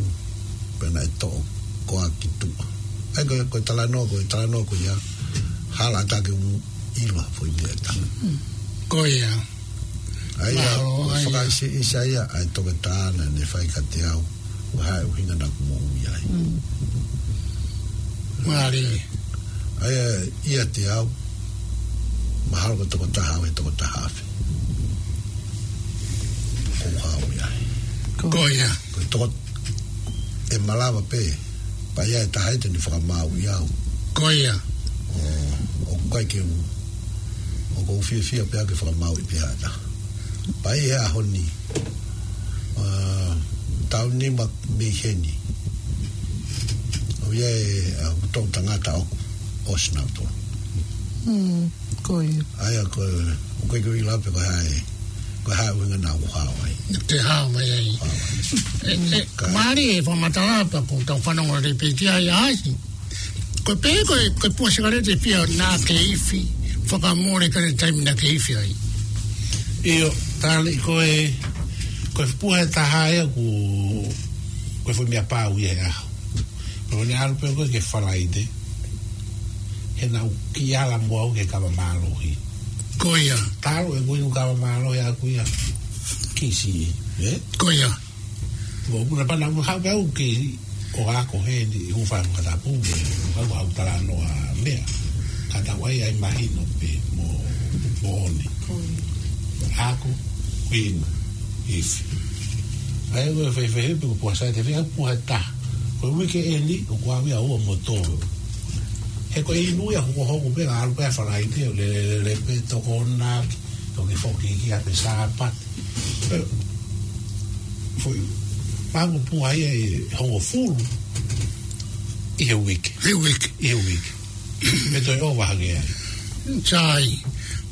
pea naʻe toʻo koa ki tuʻa. ʻA ia ko e, ko e talanoa, ko e talanoa ko ia, hala ʻatā ke u ʻilo ha foʻi meʻa ʻe taha. Ko ia. ʻA ia, mahalo, ʻa ia. Fakaʻiseʻisa ia ʻa e toketā naʻa ne fai kiate au, ʻo hā e ʻuhinga naʻa ku moʻui ai. Mm. Mālie. ʻA ia, ʻiate au, mahalo ko e tokotaha au he tokotaha afe ʻoku ou haʻu ai. Ko ia. Ko e toko, ʻe malava pē, pea ʻi ai e taha ia te ne fakamāuʻi au. Ko ia. ʻO, ʻoku ʻikai ke u, ʻoku ou fiefia pē au ke fakamāuʻi pē ha taha. Pea ʻi he ʻaho ni, ʻa, taʻu nima mei heni, ʻoku ʻi ai e, ʻa, toʻu tangata ʻoku ʻosi nautolu. Mm, ko ia. ʻA ia ko e, ʻoku ʻikai ke u ʻilo pe ko e hā e, ko e hā e ʻuhinga naʻa ku haʻu ai. Te haʻu mai ai. Haʻu ai. ʻE, ʻe, ka mālie e fakamatala pea ko ʻetau fanongo lelei pē ki ai, ʻa ʻAisi. Ko e pehē ko e, ko e puha sikaleti ʻe fiha naʻa ke ifi, fakamole ki he taimi naʻa ke ifi ai? ʻIo, tali ko e, ko e puha ʻe taha ia ʻoku, ko e foʻi meʻa pau ia he ʻaho. Ko ʻene ʻalu pē ko ē ki he Falaite, he naʻa ku kiʻi ala mo au ki he kava mālohi. Ko ia. Talu ʻeku inu kava mālohi ʻaʻaku ia, kisi, ē? Ko ia. Ko ʻeku na pana ʻoku haʻu pē au ki he, ʻo ako heni, ʻoku fai mo katapu, ʻoku haʻu talanoa meʻa. Ka tau ʻai ʻai mahino pē mo, mo ʻoni. Ko ia. Ako, inu, ifi. ʻA ia ko e fefehe pē ko e puha sikaleti ʻe fiha, puha ʻe taha. Ko e uike ʻeni, ʻoku ou ʻi ai ʻa ua mo tolu. He ko e inu ia hokohoko pē, ʻalu pē ʻa Falaite, ʻo lele, lele pē, tokonaki, toki foki ki ʻapi Sāpate. Ē, foʻi, pango puha ia ʻe hongofulu ʻi he uike. ʻI he uike. ʻI he uike. Mei toe ʻova hake ai. Sai,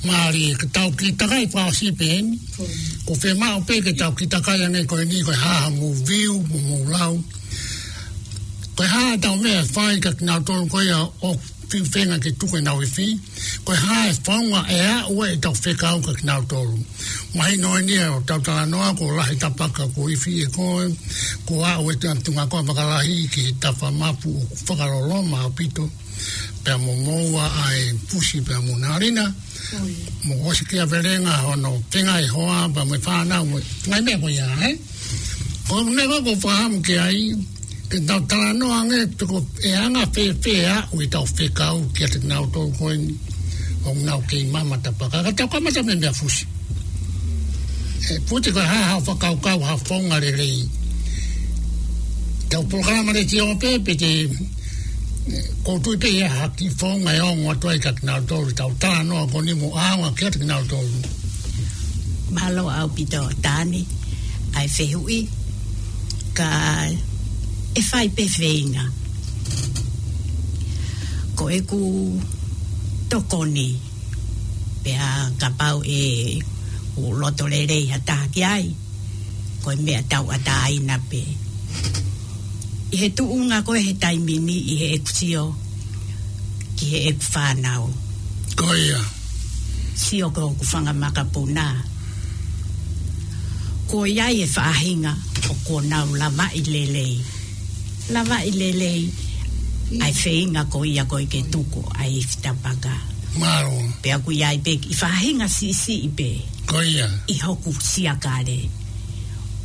mālie, ka tau kiʻi takai fakaʻosi pē eni. Ko e fiemaʻu pē ke tau kiʻi takai ange ko eni, ko e hā hoʻomou view, mo hoʻomou lau. Ko e hā ʻetau meʻa ʻe fai kia kinautolu ko ia ʻoku fiu feinga ke tuku ʻenau ifi. Ko e hā e founga ʻe aʻu ai ʻetau fekau kia kinautolu. Mahino eni ia ʻo ʻetau talanoa, kuo lahi tapaka kuo ifi ʻe koe, kuo aʻu ʻetau tuʻunga ko ē fakalahi ki he tafa mapu ʻoku fakaloloma ʻaupito. Pea mo moua ʻa e Fusi pea mo Nalina. Oi. Mo ʻosi kia Velenga hono tenga e hoa, pea mo e fānau, mo e ngaahi meʻa ko ia, ē? Ko e meʻa ko ē ʻoku ou fakaʻamu ki ai, ke tau talanoa ange, pe ko e anga fēfē ʻa ʻetau fekau kiate kinautolu ko eni ʻoku nau kei mama tapaka. Ka tau kamata mei he meʻa Fusi. ʻE, Fusi, ko e hā haʻo fakakaukau, ha founga lelei. Tau polokalama letiō pē, pe te, ʻe, ʻoku ou tui pē ʻe ʻi ai ha kiʻi founga ʻe ongo atu ai kia kinautolu, tau talanoa ko eni mo ʻaonga kiate kinautolu. Mālō ʻaupito Tani, ʻa e fehuʻi, ka ʻe fai pē feinga. Ko ʻeku tokoni, pea kapau ʻe ʻoku loto lelei ha taha ki ai, ko e meʻa tauʻatāina pē. ʻI he tuʻunga ko ē he taimi ni ʻi heʻeku sio ki heʻeku fānau. Ko ia. Sio ki hoku fanga makapuna. Ko ia e faʻahinga ʻoku nau lavaʻi lelei. Lavaʻi lelei ʻa e feinga ko ia ko ē ke tuku ʻa e ifi tapaka. Mālō. Pea ʻoku ʻi ai pē ʻi faʻahinga siʻisiʻi pē. Ko ia. ʻI hoku siakale.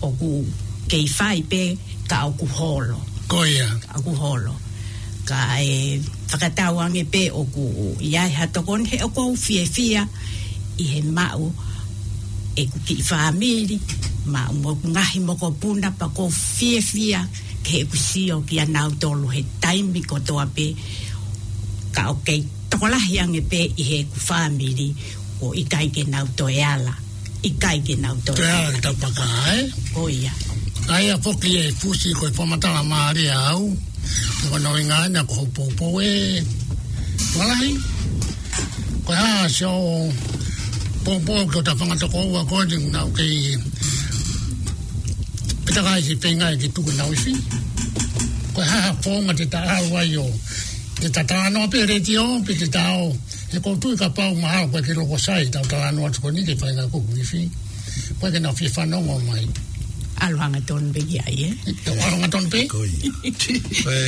ʻOku kei fai pē ka ʻoku holo. Ko ia. Ka ʻoku holo. Ka ʻe fakatauange pē ʻoku ʻi ai ha tokoni he ʻoku ou fiefia ʻi he maʻu ʻeku kiʻi fāmili, maʻu mo ʻeku ngaahi mokopuna pea ʻoku ou fiefia ke ʻeku sio kia nautolu he taimi kotoa pē ka ʻoku kei tokolahi ange pē ʻi heʻeku fāmili ʻoku ʻikai ke nau toe ala. ʻIkai ke nau toe. Toe ala ki tapaka, ē? Ko ia. ʻA ia foki e fusi ko e fakamatala mālie ʻaʻau. Ko hono ʻuhinga ena ko hoʻo poupou ē. Malahi. Ko e hā siʻo poupou ki hota fanga tokoua ko ē ʻoku nau kei pita kai si feinga ke tuku ʻenau ifi. Ko e hā ha founga te ta ʻalu ai ʻo te ta talanoa pē he letiō, pe te ta ō. He ʻoku ou tui kapau mahalo ʻoku ʻikai ke loko sai ʻetau talanoa atu ko eni ki he faʻahinga ko ē ʻoku ifi. ʻOku ʻikai ke nau fie fanongo mai. ʻAlu hangatonu pē ki ai, ē? ʻE, ʻalu hangatonu pē? Ko ia. Ko e,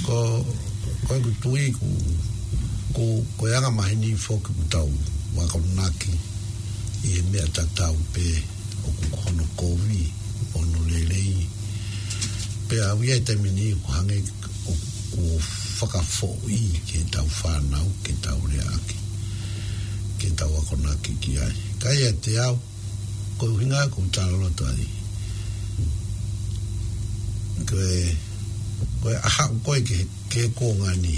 ko, ko ʻeku tui ʻoku, ʻoku, ko e anga maheni foki ʻoku tau akonaki ʻi he meʻa tatau pē ʻoku hono kovi, hono lelei. Pea ʻoku ʻi ai e taimi ʻoku hangē ʻoku fakafoʻi ki heʻetau fānau, ke tau leaʻaki, ke tau akonaki ki ai. Ka ʻiate au, ko e ʻuhinga ʻoku ou talaloto ai. Ko e, ko e ʻaho ko ē ki he, ki he kuonga ni.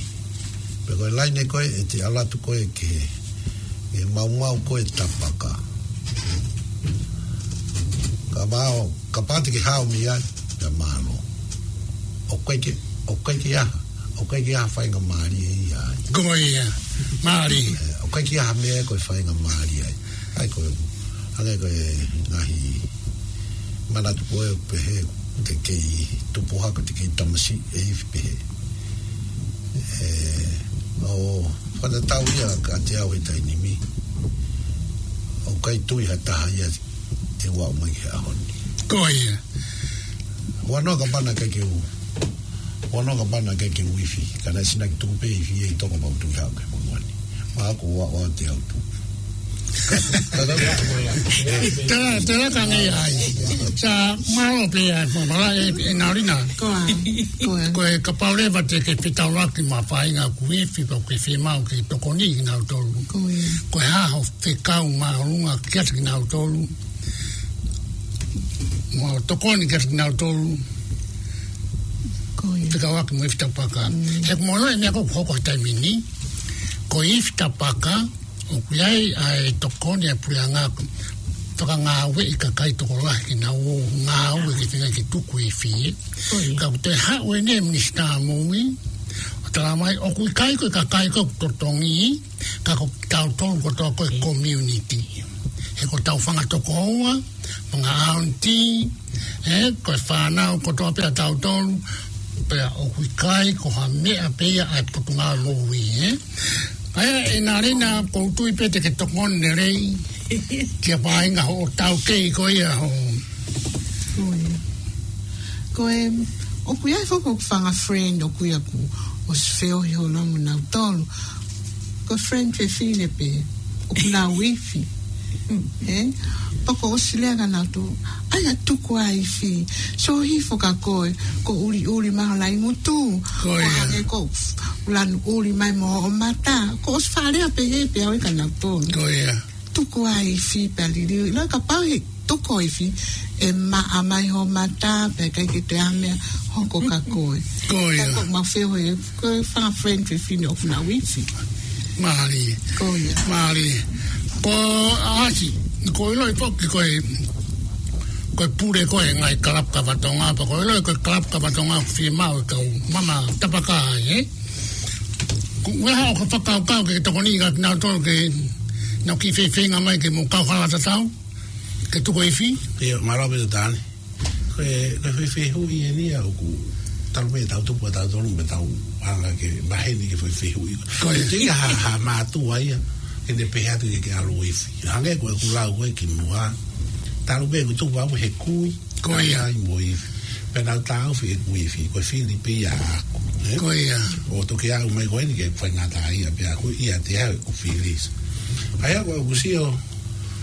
Pe ko e laine ko ē ʻe te ʻalu atu ko ē ki he, ki he maumau ko ē tapaka. Kapau, kapau te ke haʻu mei ai, pea mālō. ʻOku ʻikai ke, ʻoku ʻikai ke ʻi ai ha, ʻoku ʻikai ke ʻi ai ha faingamālie ia ai. Ko ia, mālie. ʻE, ʻoku ʻikai ke ʻi ai ha meʻa ko e faingamālie ai. ʻA ia ko e, hangē ko e ngaahi manatu ko ē ʻoku pehē, te kei tupu hake, te kei tamasiʻi e ifi pehē. ʻE, ʻo fakatatau ia kiate au he taimi ni. ʻOku ʻikai tui ha taha ia te u aʻu mai ki he ʻaho ni. Ko ia. Huanoa kapau naʻe ʻikai ke u, huanoa kapau naʻe ʻikai ke u ifi. Ka naʻe sinaki tuku pē ifi ʻi toko pau tui hake mo muani. Mahalo ko ʻeku ʻaʻau te u tupu. Tera, tera ka ngai ai. Sa, mālō pē ʻa e, mālō ē, ʻe Nalina. Ko ia. Ko ia. Ko e kapau leva te ke fetaulaki mo ha faʻahinga ʻoku ifi, pe ʻoku ke fiemaʻu ke tokoni kinautolu. Ko ia. Ko e hā hoʻo fekau māʻolunga kiate kinautolu. Mo tokoni kiate kinautolu. Ko ia. Fekauʻaki mo e ifi tapaka. Mm. He ʻoku ou ʻilo e meʻa ko ē ʻoku hoko he taimi ni. Ko e ifi tapaka, ʻoku ʻi ai ʻa e tokoni ʻa e puleʻanga fakangāueʻi kakai tokolahi ke nau ō ngāue ke feinga ke tuku ifi. Ko ia. Ka ʻoku toe haʻu eni e minisitā moʻui, ʻo talamai ʻoku ʻikai ko e kakai ko ē ʻoku totongi, ka ko kitautolu kotoa ko e community. He ko ʻetau fanga tokoua, fanga aunty, ē, ko e fānau kotoa pē ʻa tautolu, pea ʻoku ʻikai ko ha meʻa pē ia ʻa e Potungāue Moʻui, ē. ʻA ia, ʻe Nalina, ʻoku ou tui pē te ke tokoni lelei, ki he faʻahinga hoʻo taukei ko ia hoʻo. Ko ia. Ko e, ʻoku ʻi ai foki ʻeku fanga friend, ʻoku ʻi ai ʻeku ʻosi feohi holo mo nautolu. Ko e friend fefine pē, ʻoku nau ifi. Ē? Pea ʻoku ou ʻosi lea kia nautolu. ʻAi ā tuku ā ifi. Sio hifo kia koe, ko e ʻuliʻuli mai ho laʻi ngutu. Ko ia. Ko e hangē ko e lanu ʻuli mai mo hoʻo mata. ʻOku ou ʻosi faʻa lea pē he pea ʻoku ʻikai ke nau tonu. Ko ia. Tuku ā ifi pea liliu. ʻIlo kapau he tuku ifi, ʻe maʻa mai ho mata, pea ʻikai ke toe ʻi ai ha meʻa hoko kia koe. Ko ia. Ka ko ʻemau feohi, ko e fanga friend fefine ʻoku nau ifi. Mālie. Ko ia. Mālie. Ko ʻAsi, ʻoku ou ʻilo foki ko e, ko e pule ko ē ngaahi kalapu kava Tonga, pea ʻoku ou ʻilo ko e kalapu kava Tonga ʻoku fiemaʻu e kau mama tapaka ai, ē? Ko e hā hoʻo fakakaukau ke tokoni kia kinautolu ke nau kiʻi feinga mai ke mou kau hala tatau, ke tuku ifi? ʻIo, mālō ʻaupito Tane. Ko e, ko e foʻi fehuʻi eni ia ʻoku talu pē ʻetau tupu ʻatautolu mo ʻetau hanga ke maheni ki he foʻi fehuʻi. Ko ia. Te ia ha, ha mātuʻa ia, ke ne pehē atu ke ke ʻalu ifi. Hangē ko ʻeku lau ko ē kimuʻa. Talu pē ʻeku tupu au he kui. Ko ia. Ai mo ifi. Pea naʻá ku taʻofi ʻeku ifi, ko e fili pē ia ʻaʻaku, ē? Ko ia. ʻO toki aʻu mai ko eni ki he faingataʻaʻia pē ʻaʻaku ia te au ʻeku fili. ʻA ia ko ʻeku sio,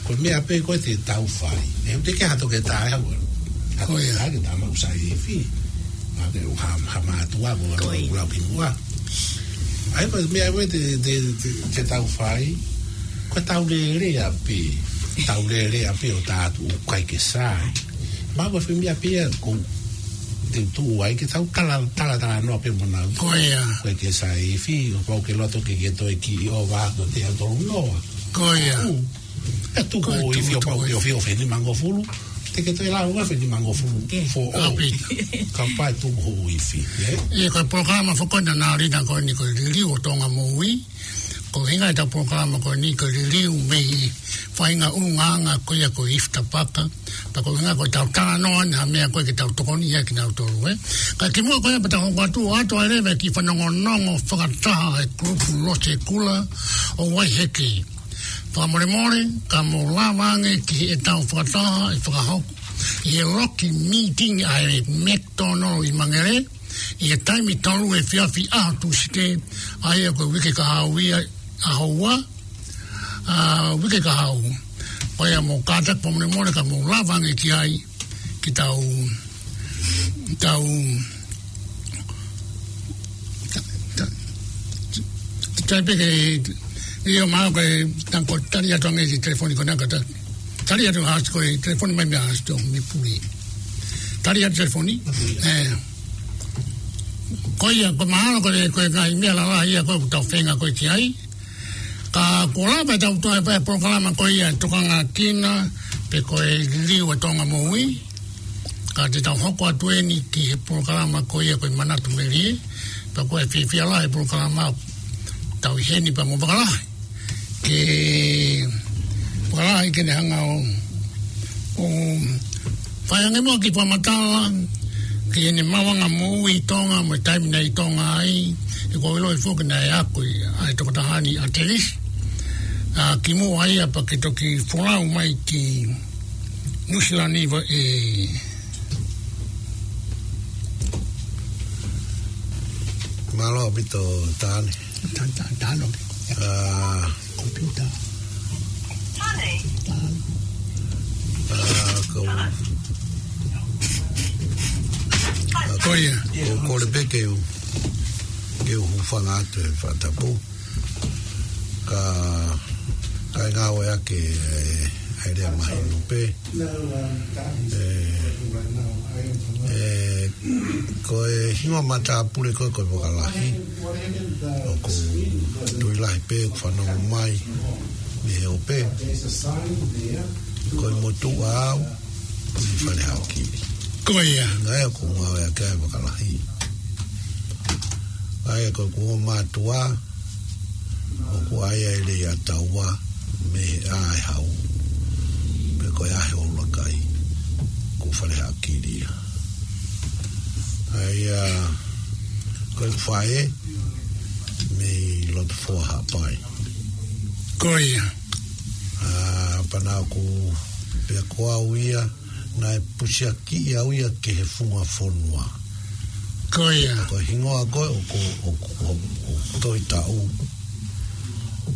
ko e meʻa pē ko ē te tau fai. ʻE, te ke hato ke tae hau. Ko ia. Hake tama usai ifi. Hake u ha, ha mātuʻa ko ʻeku lau kimuʻa. ʻA ia ko e meʻa ko ē te, te, te, te tau fai. Ko ʻetau lele ʻapē. ʻEtau lele ʻapē ʻo tā atu ʻoku ʻikai ke sai. Mahalo ko e foʻi meʻa pē ia ʻoku te tuʻu ai ke tau tala, tala, talanoa pē mo nautolu. Ko ia. ʻOku ʻikai ke sai ifi, ʻoku pau ke loto ke ke toe kiʻi ʻova ko te au tolu noa. Ko ia. ʻE tuku hoʻo ifi ʻo pau ke ʻofi ʻo fenimangofulu. Te ke toe lau ʻo fenimangofulu. Foʻou. Kapau ʻe tuku hoʻo ifi, ē? ʻIo, ko e polokalama foki ko ena naʻe ʻi ai ko eni ko e Liliu ʻo Tonga Moʻui. Ko e ʻuhinga ʻetau polokalama ko eni ko e liliu mei he faʻahinga ʻulungaanga ko ia ko e ifi tapaka. Pea ko e ʻuhinga ko ʻetau talanoa ʻa e meʻa ko ē ke tau tokoni ia kinautolu, ē. Ka kimuʻa ko ia pea tau hoko atu, ʻoatu ai leva e kiʻi fanongonongo fakataha ʻa e kulupu Losekula ʻo Waiheke. Fakamolemole, ka mou lava ange ki heʻetau fakataha ʻe fakahoko ʻi he loki meeting ʻa e McDonald ʻi Mangere, ʻi he taimi tolu efiafi ʻaho Tūsite, ʻa ia ko e uike kahaʻu ia, ʻaho ua, ʻa, uike kahaʻu. Ko ia mou kātaki fakamolemole ka mou lava ange ki ai, ke tau, tau, ta, ta, ta, pē ke, ʻio, mahalo ko e, tango tali atu ange ki he telefoni ko ena ka ta, tali atu hasi ko e telefoni mai mei Hasi tō, mei Puli. Tali atu telefoni? ʻĒ. Ko ia, ko e mahalo ko e, ko e ngaahi meʻa lalahi ia ko ē ʻoku tau feinga ko ē ki ai. Ka kuo lava ʻetau toe pē polokalama ko ia ʻe tokanga kina, pe ko e Liliu ʻo Tonga Moʻui. Ka te tau hoko atu eni ki he polokalama ko ia ko e Manatu Melie, pea ko e fiefia lahi e polokalama tau ʻi heni pea mo Vakalahi. Ke Vakalahi ke ne hanga ʻo, ʻo fai ange muʻa e kiʻi fakamatala ki heʻene maʻuʻanga moʻui ʻi Tonga, mo e taimi naʻe ʻi Tonga ai, he ʻoku ou ʻiloʻi foki naʻe ako ʻa e tokotaha ni ʻa Telisi. ʻA, kimuʻa ia pea ke toki folau mai ki Nuʻu Sila ni ʻe. Mālō ʻaupito Tane. Ta, ta, ta, no. ʻA, Computer. ʻA, ko, ʻa, ko ia. Ko, kole pē ke u, ke u hūfanga atu he fakatapu. Ka, ka e ngāueʻaki e, e lea mahino pē. ʻE, ʻe, ko e hingoa matāpule ko ē ko e Vakalahi, ʻoku ou tui lahi pē ʻoku fanongo mai mei he ope. Ko e motuʻa au, ʻi Fale Haʻakili. Ko ia. Naʻe ʻoku ngāueʻaki ai e Vakalahi. ʻA ia ko ʻeku ongo mātuʻa, ʻoku ʻi ai e lea ʻa taua mei he ʻaʻahi hau, pe ko e ʻaʻahi ʻo ʻUluakai, ko Fale Haʻakili ia. ʻA ia, ko ʻeku faʻē mei Lotofoa Haʻapai. Ko ia. ʻA, pea naʻá ku, pea ko au ia, naʻe pusiakiʻi au ia ki he funga fonua. Ko ia. Ko e hingoa ko ē ʻoku, ʻoku, ʻoku, ʻoku tohi taʻu.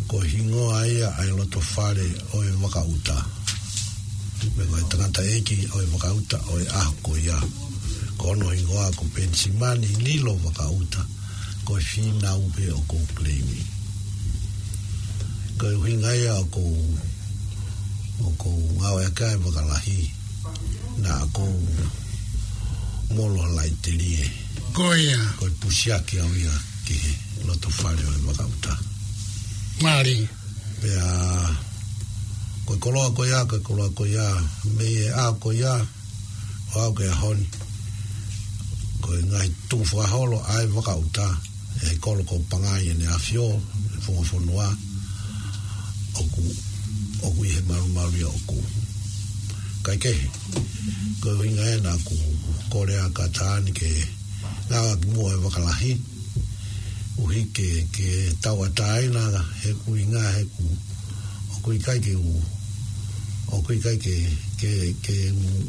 Ko e hingoa ia ʻa e loto fale ʻo e Vakaʻuta. Pea ko e tangataʻeiki ʻo e Vakaʻuta ʻo e ʻaho ko ia. Ko hono hingoa ko Penisimani Lilo Vakaʻuta. Ko e fīnau pē ʻoku ou claim-i. Ko e ʻuhinga ia ʻoku ou, ʻoku ou ngāueʻaki ai e Vakalahi. Naʻá ku molo laitelie. Ko ia. Ko e pusiaki au ia ki he loto fale ʻo e Vakaʻuta. Mālie. Pea, ko e koloa ko ia, ko e koloa ko ia, mei he ʻaho ko ia, ʻo aʻu ki he ʻaho ni. Ko e ngaahi tuʻu fakaholo ʻa e Vakaʻuta, ʻe he kolo ko Pangai ʻEne ʻAfio, ʻe he funga fonua, ʻoku, ʻoku ʻi he malumalu ia ʻoku. Kaikehe, Ko e ʻuhinga ē naʻa ku kole ʻa Kataani ke ngāueʻaki muʻa e vaka lahi. ʻUhi ke, ke tauʻatāina he ʻuhinga he ʻoku, ʻoku ʻikai ke u, ʻoku ʻikai ke, ke, ke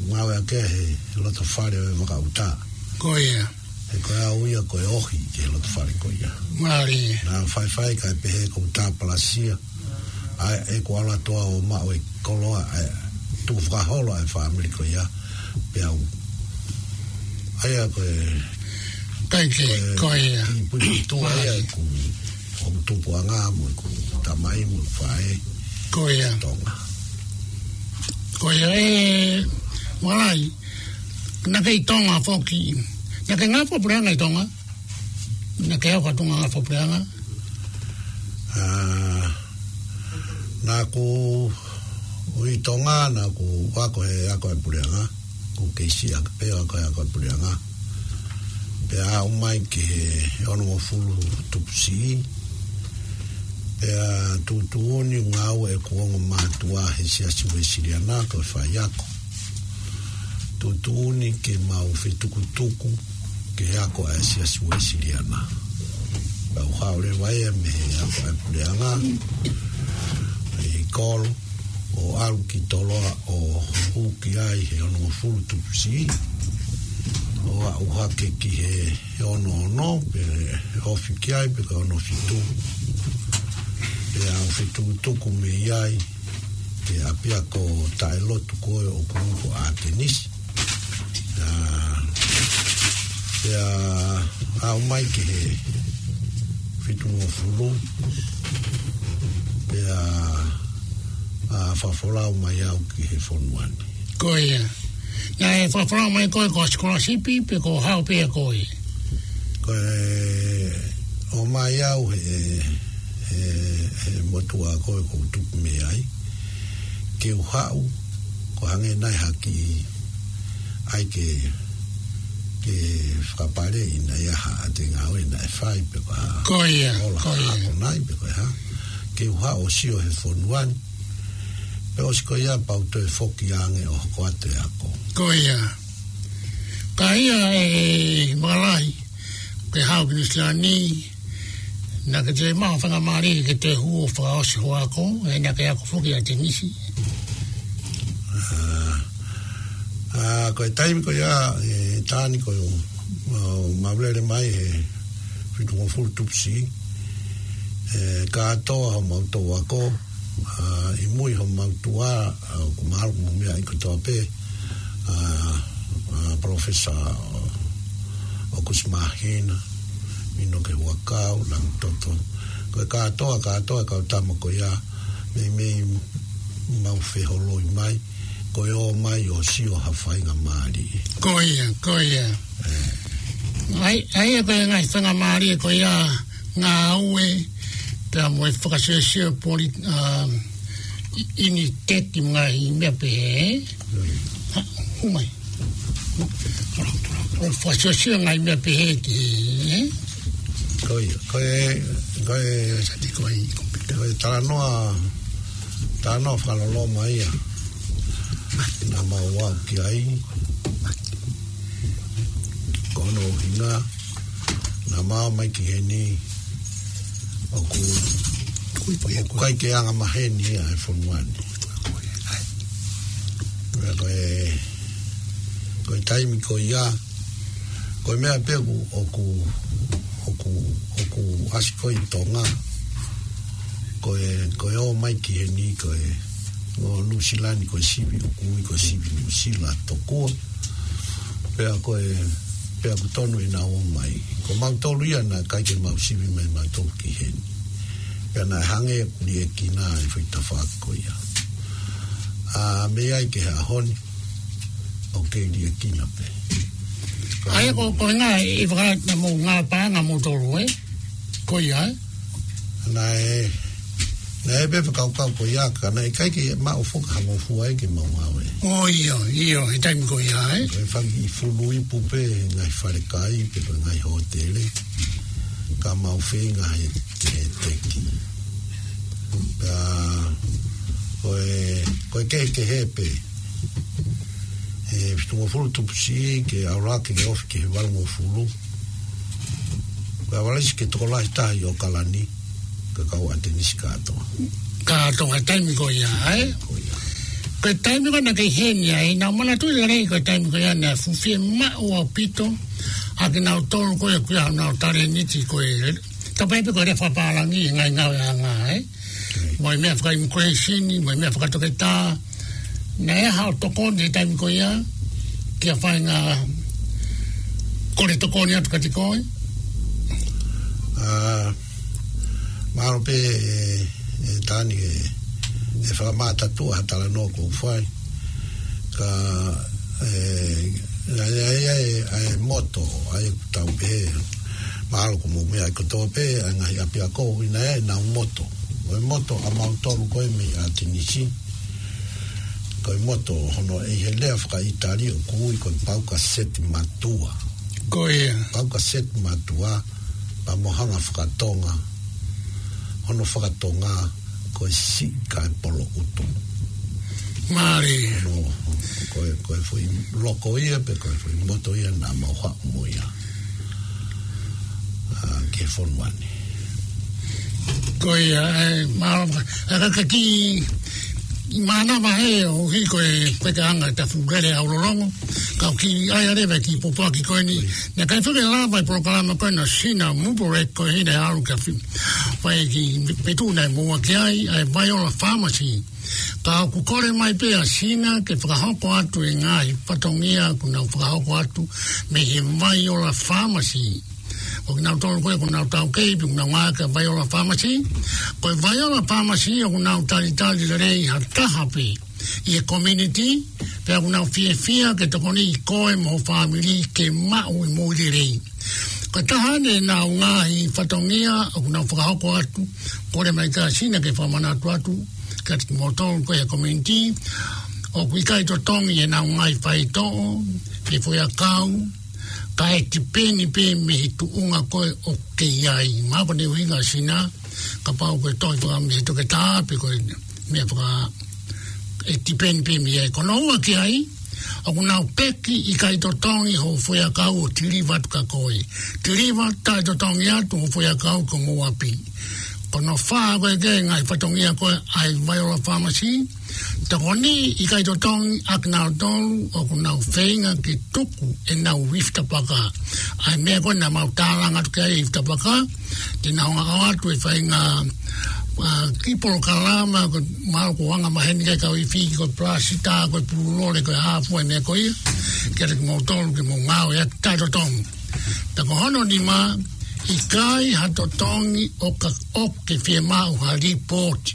ngāueʻaki he loto fale ʻo e vaka ʻuta. Ko ia. He ko e au ia ko e ohi ki he loto fale ko ia. Mālie. Naʻa faifai kae pehē ko u tāpalasia. ʻA e, ʻeku ʻalu atu ʻo maʻu e koloa, ʻa e tuʻu fakaholo ʻa e fāmili ko ia. Pea u. ʻA ia ko e, Kaiki, ko e, ko ia. ʻI Puipuitua ia Mālie. ʻeku, ʻoku tupuʻanga mo ʻeku tamai mo ʻeku faʻē. Ko ia. Tonga. Ko ia ē, Malai, naʻa ke ʻi Tonga foki. Naʻa ke ngāue fakapuleʻanga ʻi Tonga? Naʻa ke ʻi ai ha faʻahinga ngāue fakapuleʻanga? ʻĀ, naʻa ku ʻi Tonga, naʻa ku ako he ako ʻa e puleʻanga. Ko u kei siʻi ʻaki pē ʻo ako he ako ʻa e puleʻanga. Pea aʻu mai ki he onongofulu tupu siʻi. Pea tuʻutuʻuni ngāue ʻeku ongo mātuʻa he Siasi Uēsiliana ko e faiako. Tuʻutuʻuni ke mau fetukutuku ke ako ʻa e Siasi Uēsiliana. Pea u haʻu leva ia mei he ako ʻa e puleʻanga ʻi Kolo, ʻo ʻalu ki Toloa ʻo hū ki ai he onongofulu tupu siʻi. ʻO aʻu hake ki he, he ono ono, pe ofi ki ai, pe ko e ono fitu. Pea u fetukutuku mei ai, ki he ʻapiako taʻelotu ko ē ʻoku ui ko ʻAtenisi. ʻĀ, pea aʻu mai ki he fitungofulu, pea, ʻā, fakafolau mai au ki he fonua ni. Ko ia. Naʻe fakafolau mai koe ko e sikolasipi pe ko e hā pē ʻa koe? Ko e ō mai au he, he, he motuʻa ko ē ʻoku ou tupu mei ai. Ke u haʻu, ko e hangē nai ha kiʻi ʻai ke, ke fakapaleʻi nai ʻa haʻate ngāue naʻe fai pe ko e hā. Ko ia, ola ko ia. Ako nai pe ko e hā. Ke u haʻu ʻo sio he fonua ni. Pea ʻosi ko ia pea u toe foki ange ʻo hoko atu e ako. Ko ia. Ka ia ē Malai, ke haʻu ki Nuʻusila ni, naʻa ke toe maʻu ha faingamālie ke toe hū ʻo fakaʻosi hoʻo ako, ē naʻa ke ako foki ʻAtenisi. ʻĀ, ʻā, ko e taimi ko ia, ē, Taani ko e, ʻo, ʻo mau lele mai he fitungofulu tupu siʻi, ē, kātoa homau touʻi ako, ʻā, ʻi mui homau tuʻa, ʻā, ʻoku mahalo mo e meʻa ʻi kotoa pē, ʻā, ʻā, Professor ʻOkusi Māhina, Minoke Huʻakau, Langitoto. Ko e kātoa, kātoa e kau tama ko ia, meimei mau feholoi mai, ko e ō mai ʻo sio ha faingamālie. Ko ia, ko ia. ʻAi, ʻai ē ko e ngaahi faingamālie ko ia ngāue, pea mo e fakasiosio poli-, ʻā, ʻi, ʻi ni teki ngaahi meʻa pehē. Ha, hū mai. ʻO fakasiosio ngaahi meʻa pehē ki he, ē? Ko ia, ko e, ko e, Sa te ko e, ko e talanoa, talanoa fakaloloma ia. Naʻa mau aʻu ki ai. Ko hono ʻuhinga, naʻa mau ō mai ki heni, ʻoku, ʻoku ʻikai ke anga maheni ia he fonua ni. Ko e, ko e taimi ko ia, ko e meʻa pē ʻoku, ʻoku, ʻoku, ʻoku ʻasi ko ē ʻi Tonga. Ko e, ko e ō mai ki heni, ko e, ʻo Nuʻusila ni ko e sivi ʻoku ui ko e sivi Nuʻusila tokua. Pea ko e, pea ʻoku tonu ʻenau ō mai. Ko mautolu ia naʻe ʻikai ke mau sivi mai mautolu ki heni. Pea naʻe hangē ʻoku liʻekina e foʻi tafaʻaki ko ia. ʻĀ, mei ai ki he ʻaho ni, ʻoku kei liʻekina pē. ʻA ia ko, ko e ngaahi, ʻi he fakahā naʻa mou ngāue paʻanga moutolu, ē? Ko ia, ē? Naʻe, naʻe pē fakakaukau ko ia ka naʻe ʻikai ke maʻu foki ha ngofua ia ke mau ngāue. ʻIo, ʻio, he taimi ko ia, ē? Ko e fanga kiʻi fulu ipu pē, ngaahi falekai, pe ko e ngaahi hōtele. Ka mau feinga he, he teki. Pea, ko e, ko e kehekehe pē. ʻe fitungofulu tupu siʻi ke ʻalu hake ke ofi ki he valungofulu. Ko e ʻavalesi ke tokolahi taha ʻi ʻAokalani, ka kau ʻAtenisi kātoa. Kātoa he taimi ko ia, ē? Ko ia. Ko e taimi ko ē naʻa ke ʻi heni ai, naʻa ku manatuʻi lelei ko e taimi ko ia naʻe fuʻu fiemaʻu ʻaupito ʻa kinautolu ko ia ʻoku ʻi ai honau talēniti ko ē. Tapu pē ko e lea fakapālangi, ngaahi ngāueʻanga, ē? Mo e meʻa faka-immigration, mo e meʻa fakatoketā. Naʻe ʻi ai haʻo tokoni he taimi ko ia, ki ha faʻahinga kole tokoni atu kiate koe? ʻA, mahalo pē ʻe, ʻe Tani ʻe, ʻe fakamātatuʻa ha talanoa ʻoku ou fai. Ka, ʻe, ʻa e, ʻa e, ʻa e, ʻa e moto, ʻa ia ʻoku tau pehē, mahalo ko e meʻa ʻoku tō pē, ʻa e ngaahi ʻapiako ʻi he ʻenau moto. Ko e moto ʻa mautolu ko ē mei ʻAtenisi. Ko e moto hono ʻi he lea fakaʻItali ʻoku ui ko e Pauca Settimatua. Ko ia. Pauca Settimatua, pea mo hanga fakatonga. Hono fakatonga, ko e siʻi kae polo ʻutu. Mālie. Hono, ko e, ko e foʻi loko ia, pe ko e foʻi moto ia naʻa mau haʻu mo ia. ʻA, ki he fonua ni. Ko ia, ʻe, ma, ʻa ka, ka ki, mānava he ʻoku ʻi ai ko e, ko e anga ʻeta fuʻu lele ʻaulolongo, ka ʻoku ʻi ai leva e kiʻi pōpoaki ko eni. Naʻe ʻikai fai ke lava e polokalama ko ena ʻa Sina Muporek ko ē naʻe ʻalu ki ha fi-, fai ki pe tu naʻe moua ki ai, ʻa e Viola Pharmacy. Ka ʻoku kole mai pē ʻa Sina ke fakahoko atu e ngaahi fatongia ʻoku nau fakahoko atu mei he Viola Pharmacy. Ko kinautolu ko ē ʻoku nau taukei pē ʻoku nau ngāueʻaki e Viola Pharmacy. Ko e Viola Pharmacy ʻoku nau talitali lelei ha taha pē ʻi he community, pea ʻoku nau fiefia ke tokoniʻi koe mo ho fāmili ke maʻu e moʻui lelei. Ko e taha eni ʻenau ngaahi fatongia ʻoku nau fakahoko atu, kole mai ʻa Sina ke fakamanatu atu kiate kimoutolu ko ē he community, ʻoku ʻikai totongi ʻenau ngaahi faitoʻo, pe foʻiʻakau, ka ʻe tipeni pē mei he tuʻunga ko ē ʻoku ke ʻi ai. Mahalo ko hono ʻuhinga ʻa Sina, kapau ko e tohi faka mei he toketā, pe ko e meʻa faka, ʻe tipeni pē mei ai. Ko hono ua ki ai, ʻoku nau peki ʻikai totongi ho foʻiʻakau ʻo tiliva atu kia koe. Tiliva taʻetotongi atu ho foʻiʻakau ki homou ʻapi. Ko hono fā ko ē ki he ngaahi fatongia ko ē ʻa e Viola Pharmacy, tokoni ʻikai totongi ʻa kinautolu ʻoku nau feinga ke tuku ʻenau ifi tapaka. ʻA e meʻa ko ē naʻa mau tālanga atu ki ai, ifi tapaka, te nau hanga ʻo ʻoatu e faʻahinga, ʻa, kiʻi polokalama, ko e mahalo ko e anga maheni ki he kau ifi, ko e palasitā, ko e pululole, ko e hā fua e meʻa ko ia, kiate kimoutolu ke mou ngāueʻaki taʻetotongi. Pea ko hono nima, ʻikai ha totongi ʻo ka ʻoku ke fiemaʻu ha lipooti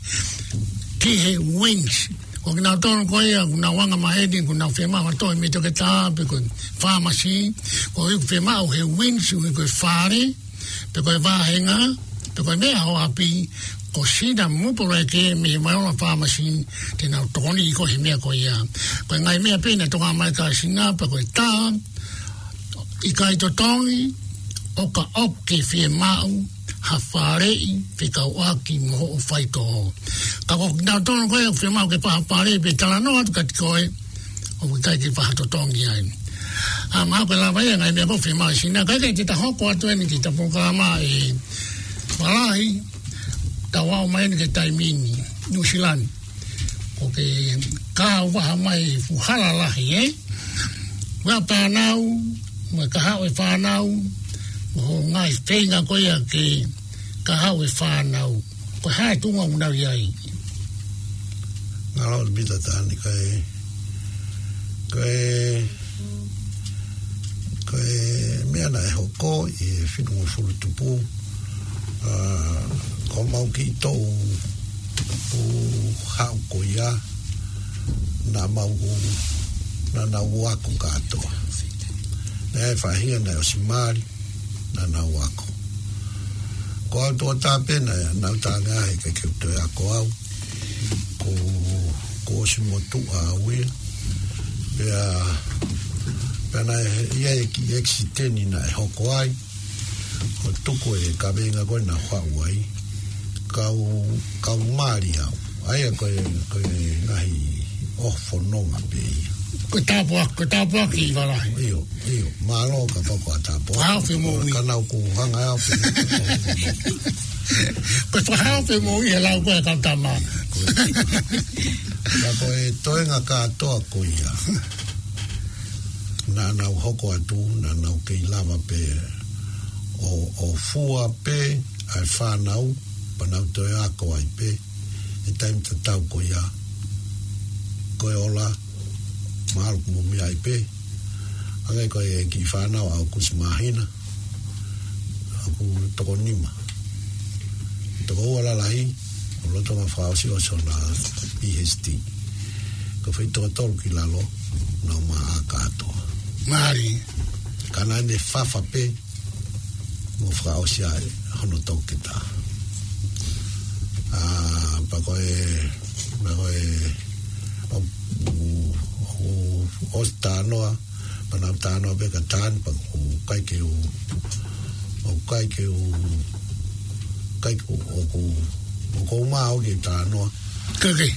ki he WINZ. Ko kinautolu ko ia ʻoku nau anga maheni, ʻoku nau fiemaʻu ha tohi mei he toketā, pe ko e pharmacy, ko e ʻoku fiemaʻu he WINZ, ʻoku ui ko e fale, pe ko e vāhenga, pe ko e meʻa ho ʻapi, ko Sina Muporek mei he Viola Pharmacy, te nau tokoniʻi koe he meʻa ko ia. Ko e ngaahi meʻa pē naʻe toka mai kia Sina, pea ko e taha, ʻikai totongi ʻo ka ʻoku ke fiemaʻu ha faleʻi fekauʻaki mo hoʻo faitoʻo. Ka ko kinautolu ko ē ʻoku fiemaʻu ke fai ha faleʻi pe talanoa atu kiate koe, ʻoku ʻikai ke fai ha totongi ai. ʻA, mahalo ko e lava ia e ngaahi meʻa ʻoku fiemaʻu ʻe Sina, ka ʻikai ke ta hoko atu eni ki heʻeta polokalama ʻe Malahi, tau aʻu mai eni ki he taimi ni, New Zealand. ʻOku ke kahaʻu vaha mai fuʻu hala lahi, ē? Ua pānau, mo e kahaʻu e fānau, mo e ngaahi feinga ko ia ke kahaʻu e fānau. Ko e hā e tuʻunga ʻoku nau ʻi ai? Ngalo le mita tani kai, kai, kai meʻa naʻe hoko ʻi he fitungofulu tupu, ʻa, ko mau kiʻi toʻu ʻoku haʻu ko ia, naʻa mau, naʻa nau ako kātoa. Naʻe faʻahinga naʻe ʻosi mali, naʻa nau ako. Ko au tuʻo tā pē naʻa nau tānga he ʻikai ke u toe ako au. Ko, ko ʻosi motuʻa au ia. Pea, pea naʻe ʻi ai e kiʻi ʻekisiteni naʻe hoko ai. ʻO tuku e kaveinga ko ē naʻa ku haʻu ai, kau, kau mali au. ʻA ia ko e, ko e ngaahi ʻoho fononga pē ia. Ko e tāpuaki, ko e tāpuaki ʻi Vālahi. ʻIo, ʻio. Mālō ka poko a tāpuaki. Fakahā ʻo femoʻui. Ka naʻa ku hanga au pē. Ko e fakahā ʻo femoʻui e lau ko ē ʻa e kau tama. Ko e, na ko e toenga kātoa ko ia. Naʻa nau hoko atu, naʻa nau kei lava pē ʻo, ʻo fua pē ʻa e fānau, pea nau toe ako ai pē ʻi he taimi tatau ko ia. Ko e ola, mahalo kuo mou meaʻi pē. Hangē ko e kiʻi fānau ʻa ʻAokusi Māhina, ʻoku toko nima. Toko ua lalahi, ʻo lolotonga fakaʻosi ʻo sona PhD. Ko e foʻi toko tolu ki lalo, nau maʻa kātoa. Mālie. Ka naʻa ne fafa pē, mo fakaʻosi ai hono toketā. ʻA, pea ko e, pea ko e, ʻo, ʻo, ʻo, ʻosi talanoa, pea nau talanoa pē ka taha ni, pea ʻoku ʻikai ke u, ʻoku ʻikai ke u, ʻikai ke u, ʻoku, ʻoku ou maʻu ke talanoa. Ka ke,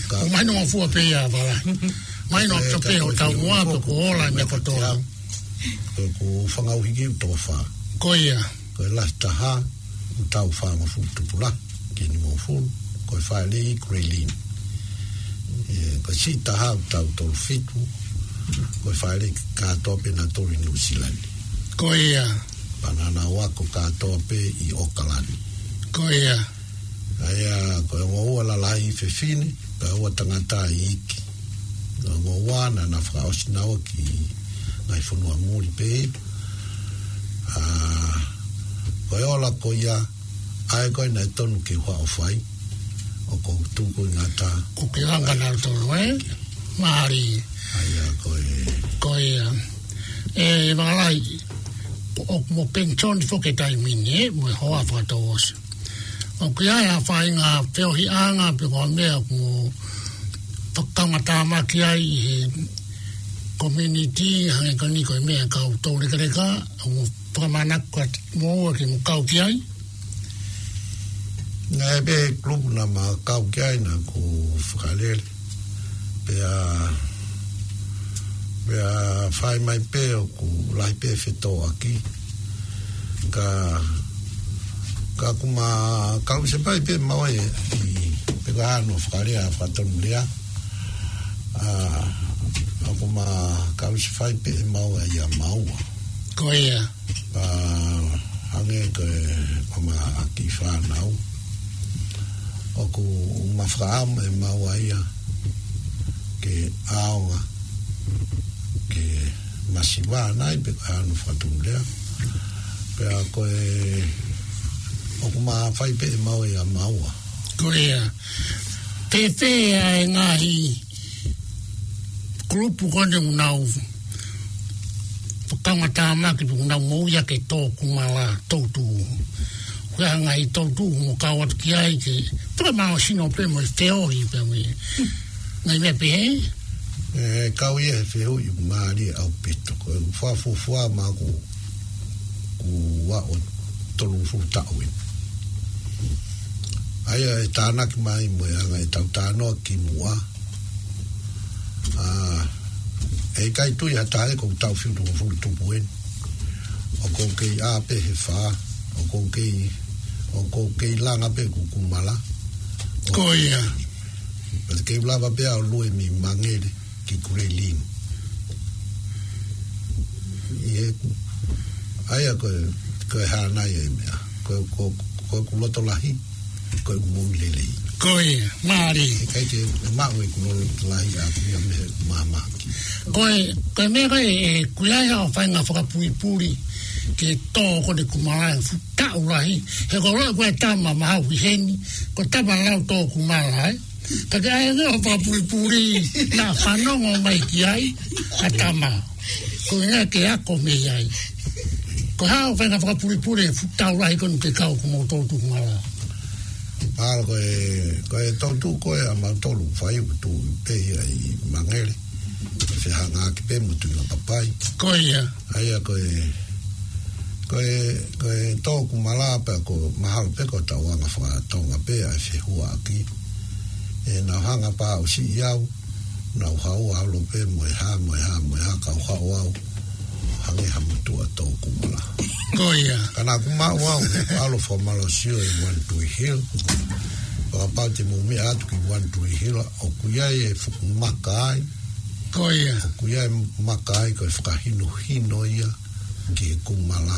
ka, ʻoku mahino ʻa e fua pē ia vala. Mahino ka, ʻa e ka, pē ʻo ka, tau ka, mua ka, pē ko e ola ka, meʻa ka, kotoa. Ko ʻeku fanga ʻuhiki ʻoku toko fā. Ko ia. Ko e lahi taha, ʻoku taʻu fāngofulu tupu lahi ki he nimangofulu, ko e faʻē lei Grelin. ʻE, ko e siʻi taha, ʻoku taʻu tolu fitu, ko e faʻē lei kātoa pē naʻa nau tolu ʻi Nuʻu Sila ni. Ko ia. Pea naʻa nau ako kātoa pē ʻi ʻAokalani. Ko ia. ʻA ia, ko e ongo ua lalahi fefine, pea ua tangata iiki. Ongo ua naʻa na fakaʻosi naua ki he ngaahi fonua muli pē. ʻA, ko e ola ko ia, ʻa ē ko ē naʻe tonu ke u haʻu ʻo fai, ʻoku ou tuku ʻi ngata. Ko ke langa na tolu, ē? Mālie. ʻA ia, ko e. Ko ia. ʻE, Vālahi, ʻoku mo penisoni foki he taimi ni, ē, mo e hoa fakatouʻosi. ʻOku ʻi ai ha faʻahinga feohiʻanga pe ko ha meʻa ʻoku mo fakakaungātāmaki ai he community, hangē ko eni ko e meʻa ʻa e kau toulekeleka, ʻoku mo fakamānako atu moua ke mo kau ki ai? Naʻe pē kulupu naʻa ma kau ki ai naʻa ku fakalele. Pea, pea fai mai pē ʻoku lahi pē fetōʻaki. Ka, ka ʻoku ma kau se pai pē maua ʻi, ʻi, pe ka hano fakalea, fakatonulea. ʻA, ʻoku ma kau se fai pē maua ia maua. Ko ia. ʻA, hangē ko e, ko ma kiʻi fānau. ʻOku ma fakaʻamu ʻe maua ia ke ʻaonga, ke masiva nai pe ko e hano fakatonulea. Pea ko e, ʻoku ma fai pē maua ia maua. Ko ia. Pea pehē ʻa e ngaahi kulupu ko eni ʻoku nau fakakaungātāmaki pe ʻoku nau moʻui ʻaki e tō kumala, toʻutuʻu. Ko e hā e ngaahi toʻutuʻu ʻoku mo kau atu ki ai ke, pea mahino pē mo e feohi pē mo e ngaahi meʻa pehē? ʻE, kau ia he fehuʻi ʻoku mālie ʻaupito. Ko e fakafuofua maʻaku ʻoku ou tolungofulu taʻu eni. ʻA ia ʻe tānaki mai mo e anga ʻetau talanoa kimuʻa. ʻA, ʻe ʻikai tui ha taha ʻoku ou taʻu fitu tolungofulu tupu eni. ʻOku ou kei ʻā pē he fā, ʻoku ou kei, ʻoku ou kei langa pē ʻeku kumala. Ko ia. Pea te kei lava pē ʻo lue mei Mangere ki Grelin. ʻI heʻeku, ʻa ia ko e, ko e hā nai e meʻa. Ko, ko, ko ʻeku loto lahi, ko ʻeku moʻui lelei. Ko ia, mālie. ʻIkai ke maʻu ʻeku loto lahi ʻaʻaku ia mei he māmaki. Ko e, ko e meʻa ko ē, ʻoku ʻi ai haʻo faʻahinga fakapulipuli ke tō ko eni kumala he fuʻu taʻu lahi. He ko e lau ko e tama mahau ʻi heni, ko e tama lau tō kumala, ē? Ka ke ʻai ange ʻo fakapulipuli, naʻa fanongo mai ki ai ʻa tama. Ko e ʻuhinga ke ako mei ai. Ko e hā hoʻo faʻahinga fakapulipuli he fuʻu taʻu lahi ko eni ke kau ko moutolu tō kumala? Mahalo ko e, ko e toʻutuʻu ko ē ʻa mautolu fai ʻoku tuʻu pē ia ʻi Mangere. Fehangahangai pē mo Tuʻilapapai. Ko ia. ʻA ia ko e, ko e, ko e tō kumala pea ko mahalo pē ko ʻetau anga fakatonga pē ʻa e fehuaʻaki. ʻE nau hanga pē ʻo siʻi au. Naʻa ku haʻu ʻo ʻalu pē mo e hā, mo e hā, mo e hā, kau haʻu au. Hangē ha motuʻa tō Kumala. Ko ia. Ka naʻa ku maʻu au, ʻalu fakamālō sio ʻi One Tree Hill. Kapau te mou meʻa atu ki One Tree Hill, ʻoku ʻi ai e fuku maka ai. Ko ia. ʻOku ʻi ai e maka ai, ko e fakahinohino ia ki he Kumala.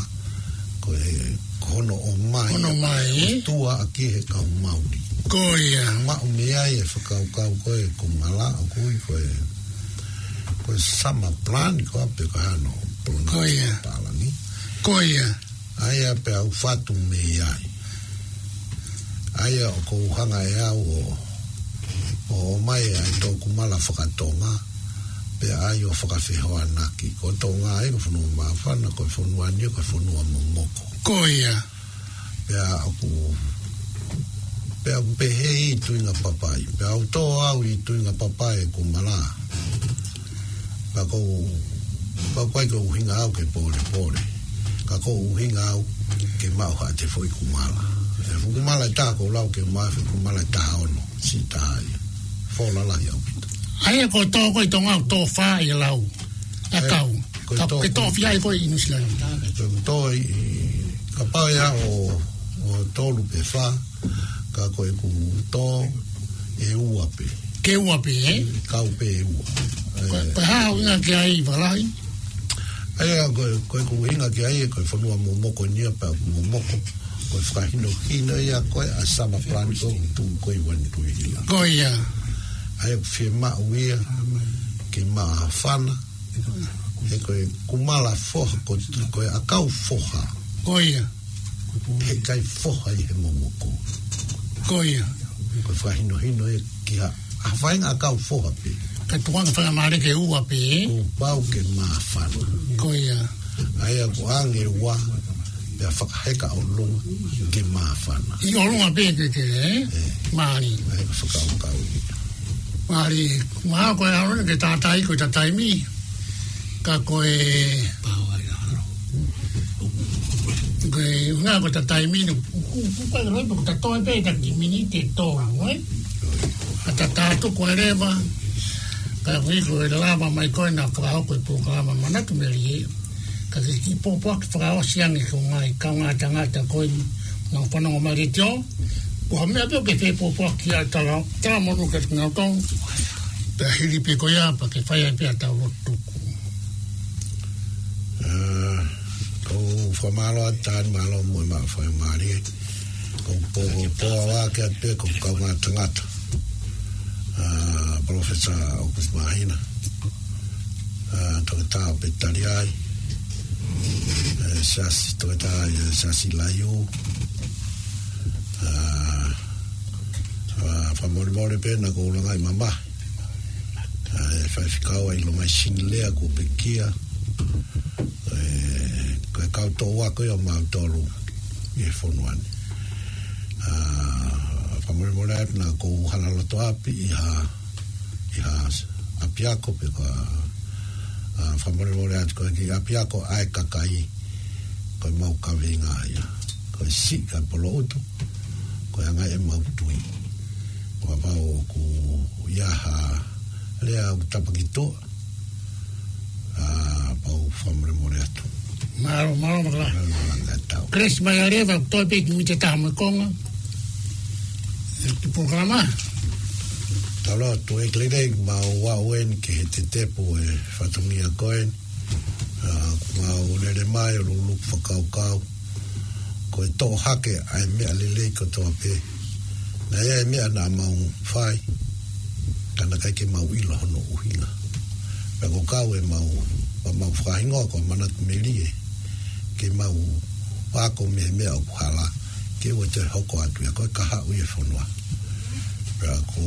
Ko e, ko hono ʻomai. Hono ʻomai, ē? ʻOtua ʻaki he kau Mauli. Ko ia. Maʻu mei ai e fakakaukau ko e Kumala, ʻoku ui ko e, ko e summer plant, ko ā pē ka hano plant. Ko ia. Pālangi. Ko ia. ʻA ia pea u fatu mei ai. ʻA ia ʻoku ou hanga ʻe au ʻo, ʻo ʻomai ʻa e tō Kumala fakatonga, pea ʻai ʻo fakafehoanaki. Ko Tonga ē, ko e fonua māfana, ko e fonua ni, ko e fonua momoko. Ko ia. Pea ʻoku, pea ʻoku pehē ʻi Tuingapapai. Pea u tō au ʻi Tuingapapai ʻe Kumala. Ka ko, ka ko e ʻuhinga au ke pōlepole. Ka ko e ʻuhinga au ke maʻu haʻate foʻi Kumala. E fuʻu Kumala ʻe taha ʻoku ou lau ke maʻu, fuʻu Kumala ʻe taha ono. Siʻi taha ia. Fō lalahi ʻaupito. ʻA ia ko e tō ko ē ʻi Tonga ʻoku tō fā ʻi he lau. ʻA e, kau. Ko e Ka tō ke ko tō fia ai ko ē ʻi Nuʻusila ni. Ko e tō ʻi, ʻi, kapau ʻe ʻi ai ʻo, ʻo tolu pe fā, ka ko ʻeku tō ʻe ua pē. Ke ua pē, ē? Kau pē ʻe ua. Ko, ē. Ko e hā ʻuhinga ki ai, Valahi? ʻA ia, ko, ko ʻeku ʻuhinga ki ai, ko e fonua momoko ni ia pea ʻoku momoko. Ko e fakahinohino ia ko ē ʻa e summer plant ko ē ʻoku tuʻu ko ē ʻi One Tree Hill. Ko ia. ʻA ia ʻoku fiemaʻu ia ke māfana. He ko e Kumala foha, ko, ko e ʻakau foha. Ko ia. He ʻikai foha ʻi he momoko. Ko ia. Ko e fakahinohino ia ki ha, ha faʻahinga ʻakau foha pē. Ka tuanga faingamālie ke ua pē, ē? Kuo pau ke māfana. Ko ia. ʻA ia ʻoku ʻange ua, pea fakaheka ʻolunga ke māfana. ʻI ʻolunga pē ke, ke, ē? Ē. Mālie. ʻA ia ko e fakakaukau ia. Mālie, mahalo ko e ʻalu eni ke tātā ʻi ko e taimi. Ka ko e, ko e, ʻuhinga ko e taimi ni, ku, ku, ku, ko e loi, ko e tatau pē ʻeta kiʻi miniti ʻe tolu, ē? Ka ta tātā atu ko e leva, ka ko e, ko e lava mai ko ē naʻa fakahoko e polokalama Manatu Melie, ka ke kiʻi pōpoaki fakaʻosi ange ki he ngaahi kaungā tangata ko ē naʻa nau fanongo mai he letiō, ko ha meʻa pē ʻoku ke fie pōpoaki ai, tala, tala monū kiate kinautolu, pea hili pē ko ia, pea ke fai ai pē ʻa e tau lotu tuku. Ā, ʻoku ou fakamālō atu, Tani, mālō mo e maʻu faingamālie. ʻOku ou pō, pō ʻa ke atu pē ko e kaungā tangata. Ā, Professor August Māhina. Ā, Toketā Petaliai. Ē, Siasi, Toketā, ē, Siasi Laiu. Ā, ā, fakamolemole pē naʻa ku langaʻi mamahi. Ā, ʻe faifekau ai lo mai Sinilea kuo pekia. Ē, ko e kau toʻu ako ia ʻo mautolu ʻi he fonua ni. Ā, fakamolemole atu naʻa ku hala loto ʻapi ʻi ha, ʻi ha ʻapiako pe ko ha, ā, fakamolemole atu ko e kiʻi ʻapiako ʻa e kakai, ko e mau kaveinga ia. Ko e siʻi kae poloʻutu, ko e anga e mau tui. Ko e pau ʻoku ʻi ai ha lea ʻoku tapa ki tuʻa, ā, pea u fakamolemole atu. Mālō, mālō, mālō. Mālō, mālō, mālō, tau. Kelesi mai ā leva, toe pē kiʻi miniti ʻe taha mo e konga. ʻE ki polokalama. Tau lotu. ʻEiki lelei, mau aʻu eni ki he tetepu e fatongia ko eni. Ā, mau lele mai ʻo luluku fakakaukau. Ko e toʻo hake ʻa e meʻa lelei kotoa pē. Naʻe ʻi ai e meʻa naʻa mau fai, ka naʻe ʻikai ke mau ʻilo hono ʻuhinga. Pea ko e kau ʻemau, ʻemau fakahingoa ko Manatu Melie, ke mau ako mei he meʻa ʻoku hala, ke ʻoua te hoko atu ia ko e kahaʻu ʻi he fonua. Pea ko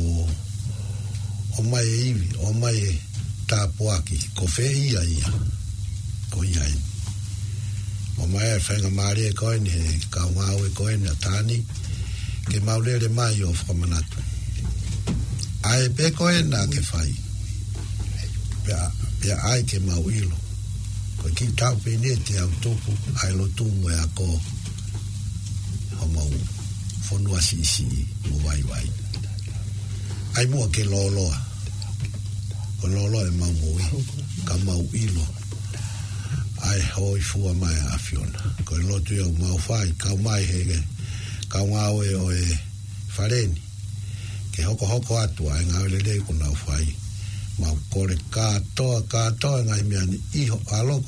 ʻomai e ivi, ʻomai e tāpuaki, ko fē ia ia. Ko ia eni. ʻOmai e faingamālie ko eni he kau ngāue ko eni ʻa Tani, ke mau lele mai ʻo fakamanatu. ʻA e pē ko ē naʻa ke fai. Pea, pea ʻai ke mau ʻilo. Ko e kiʻi taʻu pē eni ʻe teau tupu, ʻa e lotu mo e ako. Homau fonua siʻisiʻi mo vaivai. ʻAi muʻa ke lōloa. Ko e lolo ʻemau moʻui, ka mau ʻilo ʻa e hōifua mai ʻa e ʻAfiona. Ko e lotu ia ʻoku mau fai, kau mai he ke, kau ngāue ʻo e fale ni, ke hokohoko atu ʻa e ngāue lelei ʻoku nau fai. Mau kole kātoa, kātoa e ngaahi meʻa ni ʻi ho ʻAlo ko